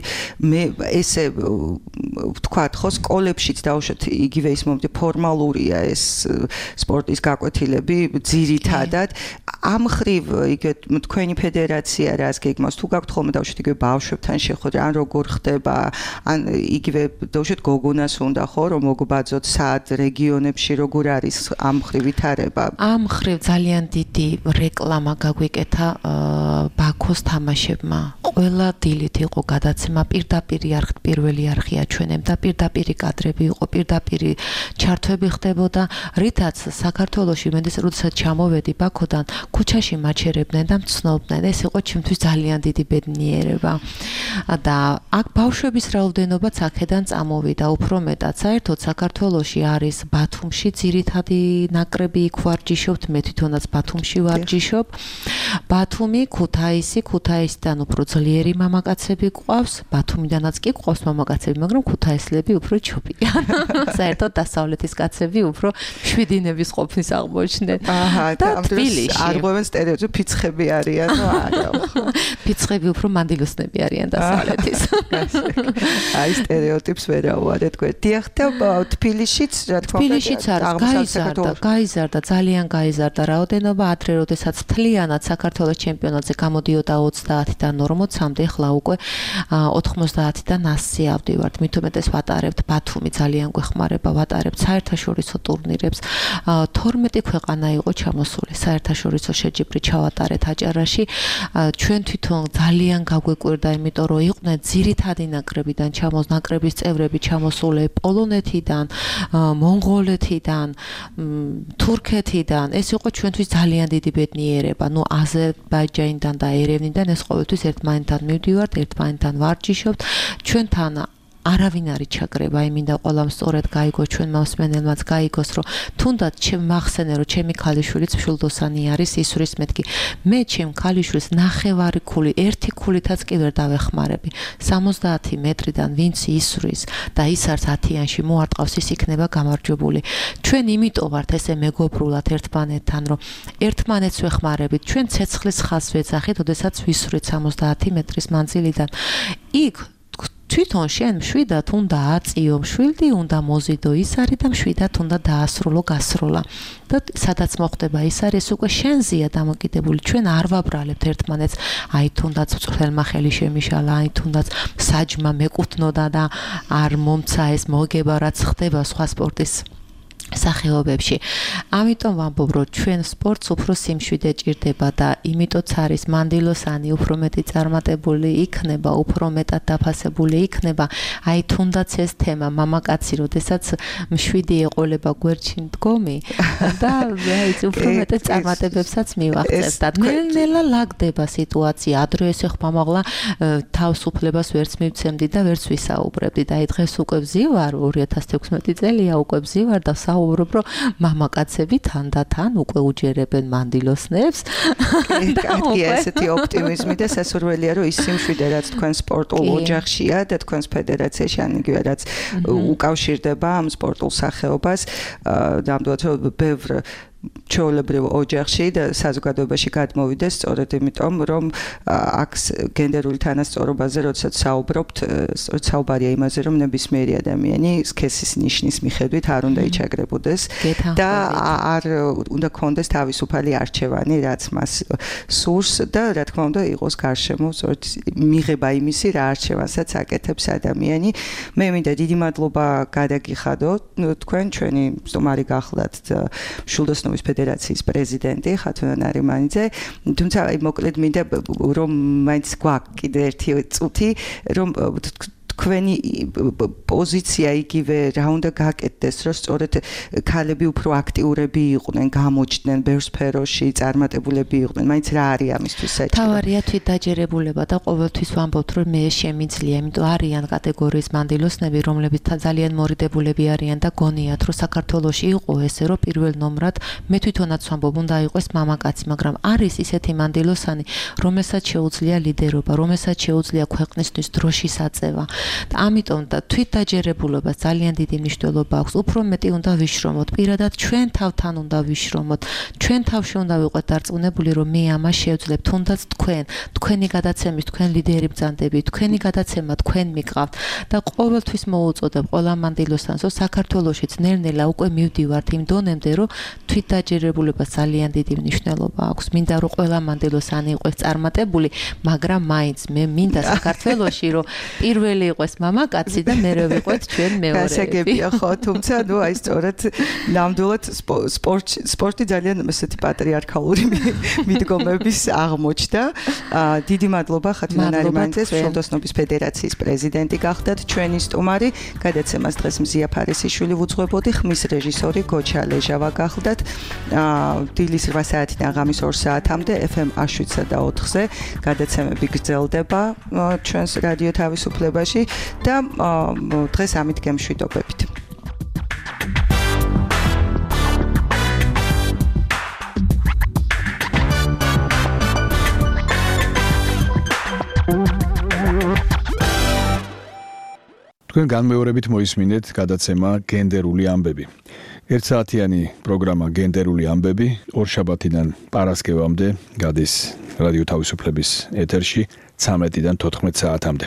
ესე ვთქვათ, ხო, სკოლებშიც დავუშვათ იგივე ის მომდი ფორმალურია ეს სპორტის გაკვეთილები ძირითადად ამ ხრივ იგივე თქვენი ფედერაცია რას გეგმავს თუ გაქვთ ხოლმე დავუშვათ იგივე ბავშვებთან შეხვედრა ან როგორ ხდება ან იგივე დავუშვათ გოგონას უნდა ხო რომ მოგბაძოთ სად რეგიონებში როგორ არის ამ ხრივ ვითარება ამ ხრივ ძალიან დიდი რეკლამა გაგვიკეთა ბაქოს თამაშებმა ყველა დილით იყო გადაცემა პირდაპირ არხით პირველი არხი აჩვენებდა პირდაპირი კადრები იყო პირდაპირი ჩართვები ხდებოდა რითაც საქართველოში მენდეს როდესაც ჩამოვედი ბაქოდან ქუჩაში მაჩერებდნენ და მცნობდნენ ეს იყო ჩემთვის ძალიან დიდი ბედნიერება და აქ ბავშვების რაოდენობაც აქედან წამოვიდა უფრო მეტად საერთოდ საქართველოში არის ბათუმში ძირითადი ნაკრები იქ ვარჯიშობთ მე თვითონაც ბათუმში ვარჯიშობ ბათუმი ქუთაისიდან უფრო ძლიერი მამაკაცები გვყავს ბათუმიდანაც კი გვყავს მამაკაცები მაგრამ ქუთაისლები უფრო ჩობიან საერთოდ დასავლეთის კაცები უფრო შვიდინების ყოფნის აღმოჩნდნენ და თბილისში არ ღვევენ სტერეოტიპ ფიცხები არიანო არა ფიცხები უფრო მანდილოსნები არიან დასავლეთის აი სტერეოტიპს ვერავარეთ თქვენ დიახ და თბილისშიც რა თქმა უნდა თბილისშიც არის გაიზარდა ძალიან გაიზარდა რაოდენობა ადრე როდესაც მთლიანად საქართველოს ჩემპიონატზე გამოდიოდა 30-დან 40-მდე ხლა უკვე 90-დან 100-ზე ავდივართ მით უმეტეს ვატარებთ ბათუმი ძალიან გვეხმარება ვატარებთ საერთაშორისო ტურნირებს 12 ქვეყანა იყო ჩამოსული საერთაშორისო შეჯიბრი ჩავატარეთ აჭარაში ჩვენ თვითონ ძალიან გაგვეკვირდა იმიტომ რომ იყვნენ ძირითადი ნაკრებიდან ნაკრების წევრები ჩამოსული პოლონეთიდან მონღოლეთიდან თურქეთიდან ეს იყო ჩვენთვის ძალიან დიდი ბედნიერება ნუ აზერბაიჯანიდან და ერევნიდან ეს ყოველთვის ერთმანეთთან მივდივართ ერთმანეთთან ვარჯიშობთ ჩვენთან არავინ არის ჩაგრება, იმინდა ყველამ სწორად გაიგო ჩვენ მოსმენელმაც გაიგოს, რომ თუნდაც ჩემ მახსენე რომ ჩემი ქალიშვილიც მშვილდოსანი არის ისვრის მეთქი. მე ჩემ ქალიშვილს ნახევარი ქული, ერთი ქულითაც კი ვერ დავეხმარები. 70 მეტრიდან ვინც ისვრის და ის არც 10-იანში მოარტყავს, ის იქნება გამარჯვებული. ჩვენ იმიტომ ვართ ესე მეგობრულად ერთმანეთთან, რომ ერთმანეთს ვეხმარებით. ჩვენ ცეცხლის ხაზს ვეძახით, ოდესაც ვისვრით 70 მეტრის მანძილიდან. იქ თვითონ შენ მშვიდად უნდა აწიო, მშვილდი უნდა მოზიდო, ის არის და მშვიდად უნდა დაასრულო, გასროლა. და სადაც მოხდება ის არის უკვე შენზეა დამოკიდებული. ჩვენ არ ვაბრალებთ ერთმანეთს, აი თუნდაც მწვრთნელმა ხელი შემიშალა, აი თუნდაც საჯმა მეკუთნოდა და არ მომცა ეს მოგება რაც ხდება სხვა სპორტის სახეობებში. ამიტომ ვამბობ, რომ ჩვენ სპორტს უფრო სიმშვიდე ჭირდება და იმიტოც არის მანდილოსანი უფრო მეტი წარმატებული იქნება, უფრო მეტად დაფასებული იქნება. აი თუნდაც ეს თემა მამაკაცი, როდესაც მშვიდი ეყოლება გვერდში მდგომი და აი უფრო მეტად წარმატებებსაც მივაღწევს და ნელ-ნელა ლაგდება სიტუაცია. ადრე ესე ხმამაღლა თავისუფლებას ვერც მივცემდი და ვერც ვისაუბრებდი და აი დღეს უკვე ვზივარ 2016 წელია უკვე ვზივარ და ვაუბრობ, რომ მამაკაცები თანდათან უკვე უჯერებენ მანდილოსნებს. კარგი, ესეთი ოპტიმიზმი და სასურველია, რომ ის სიმშვიდე, რაც თქვენ სპორტულ ოჯახშია და თქვენს ფედერაციაში, ან იგივე რაც უკავშირდება ამ სპორტულ სახეობას, ნამდვილად რომ ბევრ ჩვეულებრივ ოჯახში და საზოგადოებაში გადმოვიდეს სწორედ იმიტომ, რომ აქ გენდერული თანასწორობაზე, როდესაც საუბრობთ, საუბარია იმაზე, რომ ნებისმიერი ადამიანი სქესის ნიშნის მიხედვით არ უნდა იჩაგრებოდეს და არ უნდა კონდეს თავისუფალი არჩევანი, რაც მას სურს და რა თქმა უნდა იყოს გარშემო სწორედ მიღება იმისი რა არჩევანსაც აკეთებს ადამიანი. მე მინდა დიდი მადლობა გადაგიხადო თქვენ ჩვენი სტუმარი გახლდათ მშვილდოსნობის ფედერაციის პრეზიდენტი ხათუნა ნარიმანიძე. თუმცა მოკლედ მინდა რომ მაინც გვაქვს კიდე ერთი წუთი რომ თქვენი პოზიცია იგივე რა უნდა გაკეთდეს, რომ სწორედ ქალები უფრო აქტიურები იყვნენ, გამოჩნდნენ ბევრ სფეროში, წარმატებულები იყვნენ. მაინც რა არის ამისთვის საჭირო? თავარია თვითდაჯერებულება და ყოველთვის ვამბობთ, რომ მე შემიძლია, იმიტომ არიან კატეგორიის მანდილოსნები, რომლებიც ძალიან მორიდებულები არიან და გონიათ, რომ საქართველოში იყო ესე, რომ პირველ ნომრად მე თვითონაც ვამბობ, უნდა იყოს მამაკაცი, მაგრამ არის ისეთი მანდილოსანი, რომელსაც შეუძლია ლიდერობა, რომელსაც შეუძლია ქვეყნისთვის დროშის აწევა. და ამიტომ და თვითდაჯერებულობას ძალიან დიდი მნიშვნელობა აქვს. უფრო მეტი უნდა ვიშრომოთ. პირადად ჩვენ თავთან უნდა ვიშრომოთ. ჩვენ თავში უნდა ვიყოთ დარწმუნებული, რომ მე ამას შევძლებ. თუნდაც თქვენი გადაცემის, თქვენ ლიდერი ბრძანდებით, თქვენი გადაცემა თქვენ მიყავთ და ყოველთვის მოუწოდებ ყველა მანდილოსანს, რომ საქართველოშიც ნელ-ნელა უკვე მივდივართ იმ დონემდე, რომ თვითდაჯერებულებას ძალიან დიდი მნიშვნელობა აქვს. მინდა რომ ყველა მანდილოსანი იყოს წარმატებული, მაგრამ მაინც მე მინდა საქართველოში, რომ პირველი იყოს მამაკაცი და მერე ვიყოთ ჩვენ მეორეები. გასაგებია ხო, თუმცა ნუ აი სწორედ ნამდვილად სპორტი ძალიან ესეთი პატრიარქალური მიდგომების აღმოჩნდა. დიდი მადლობა ხათუნა ნარიმანიძეს, მშვილდოსნობის ფედერაციის პრეზიდენტი გახდათ ჩვენი სტუმარი. გადაცემას დღეს მზია ფარესიშვილი ვუძღვებოდი, ხმის რეჟისორი გოჩა ლეჟავა გახდათ. დილის 8 საათიდან ღამის 2 საათამდე FM 107.4-ზე გადაცემები გრძელდება ჩვენს რადიო თავისუფლებაში და დღეს ამით გემშვიდობებით. თქვენ განმეორებით მოისმინეთ გადაცემა გენდერული ამბები. 1 საათიანი პროგრამა გენდერული ამბები ორშაბათიდან პარასკევამდე გადის რადიო თავისუფლების ეთერში 13-დან 14 საათამდე.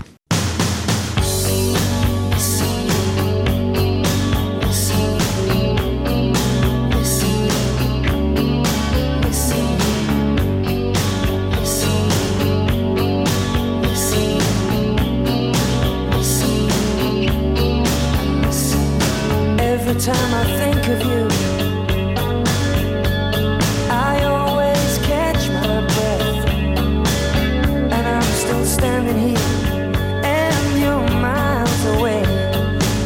Every time I think of you, I always catch my breath, and I'm still standing here, and you're miles away,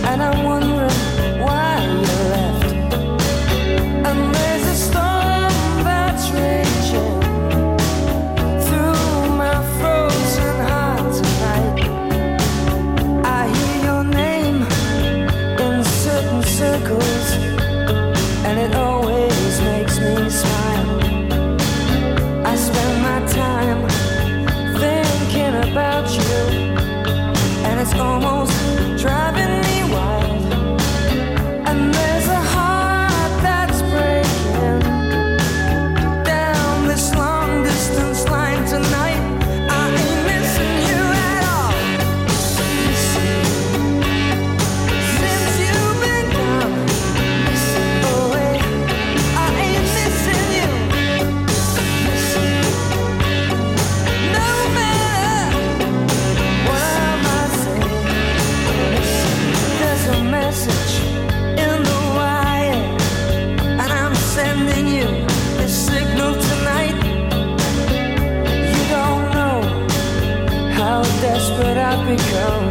and I'm wondering why you left. And there's a storm that's raging through my frozen heart tonight. I hear your name in certain circles, and it always makes me smile. I spend my time thinking about you, and it's almost driving me wild. And there's a heart that's breaking down this long distance line tonight. I ain't missing you at all. Since you've been gone away, I ain't missing you. No matter what I might say, there's a message in the wire, and I'm sending you this signal tonight. You don't know how desperate I've become.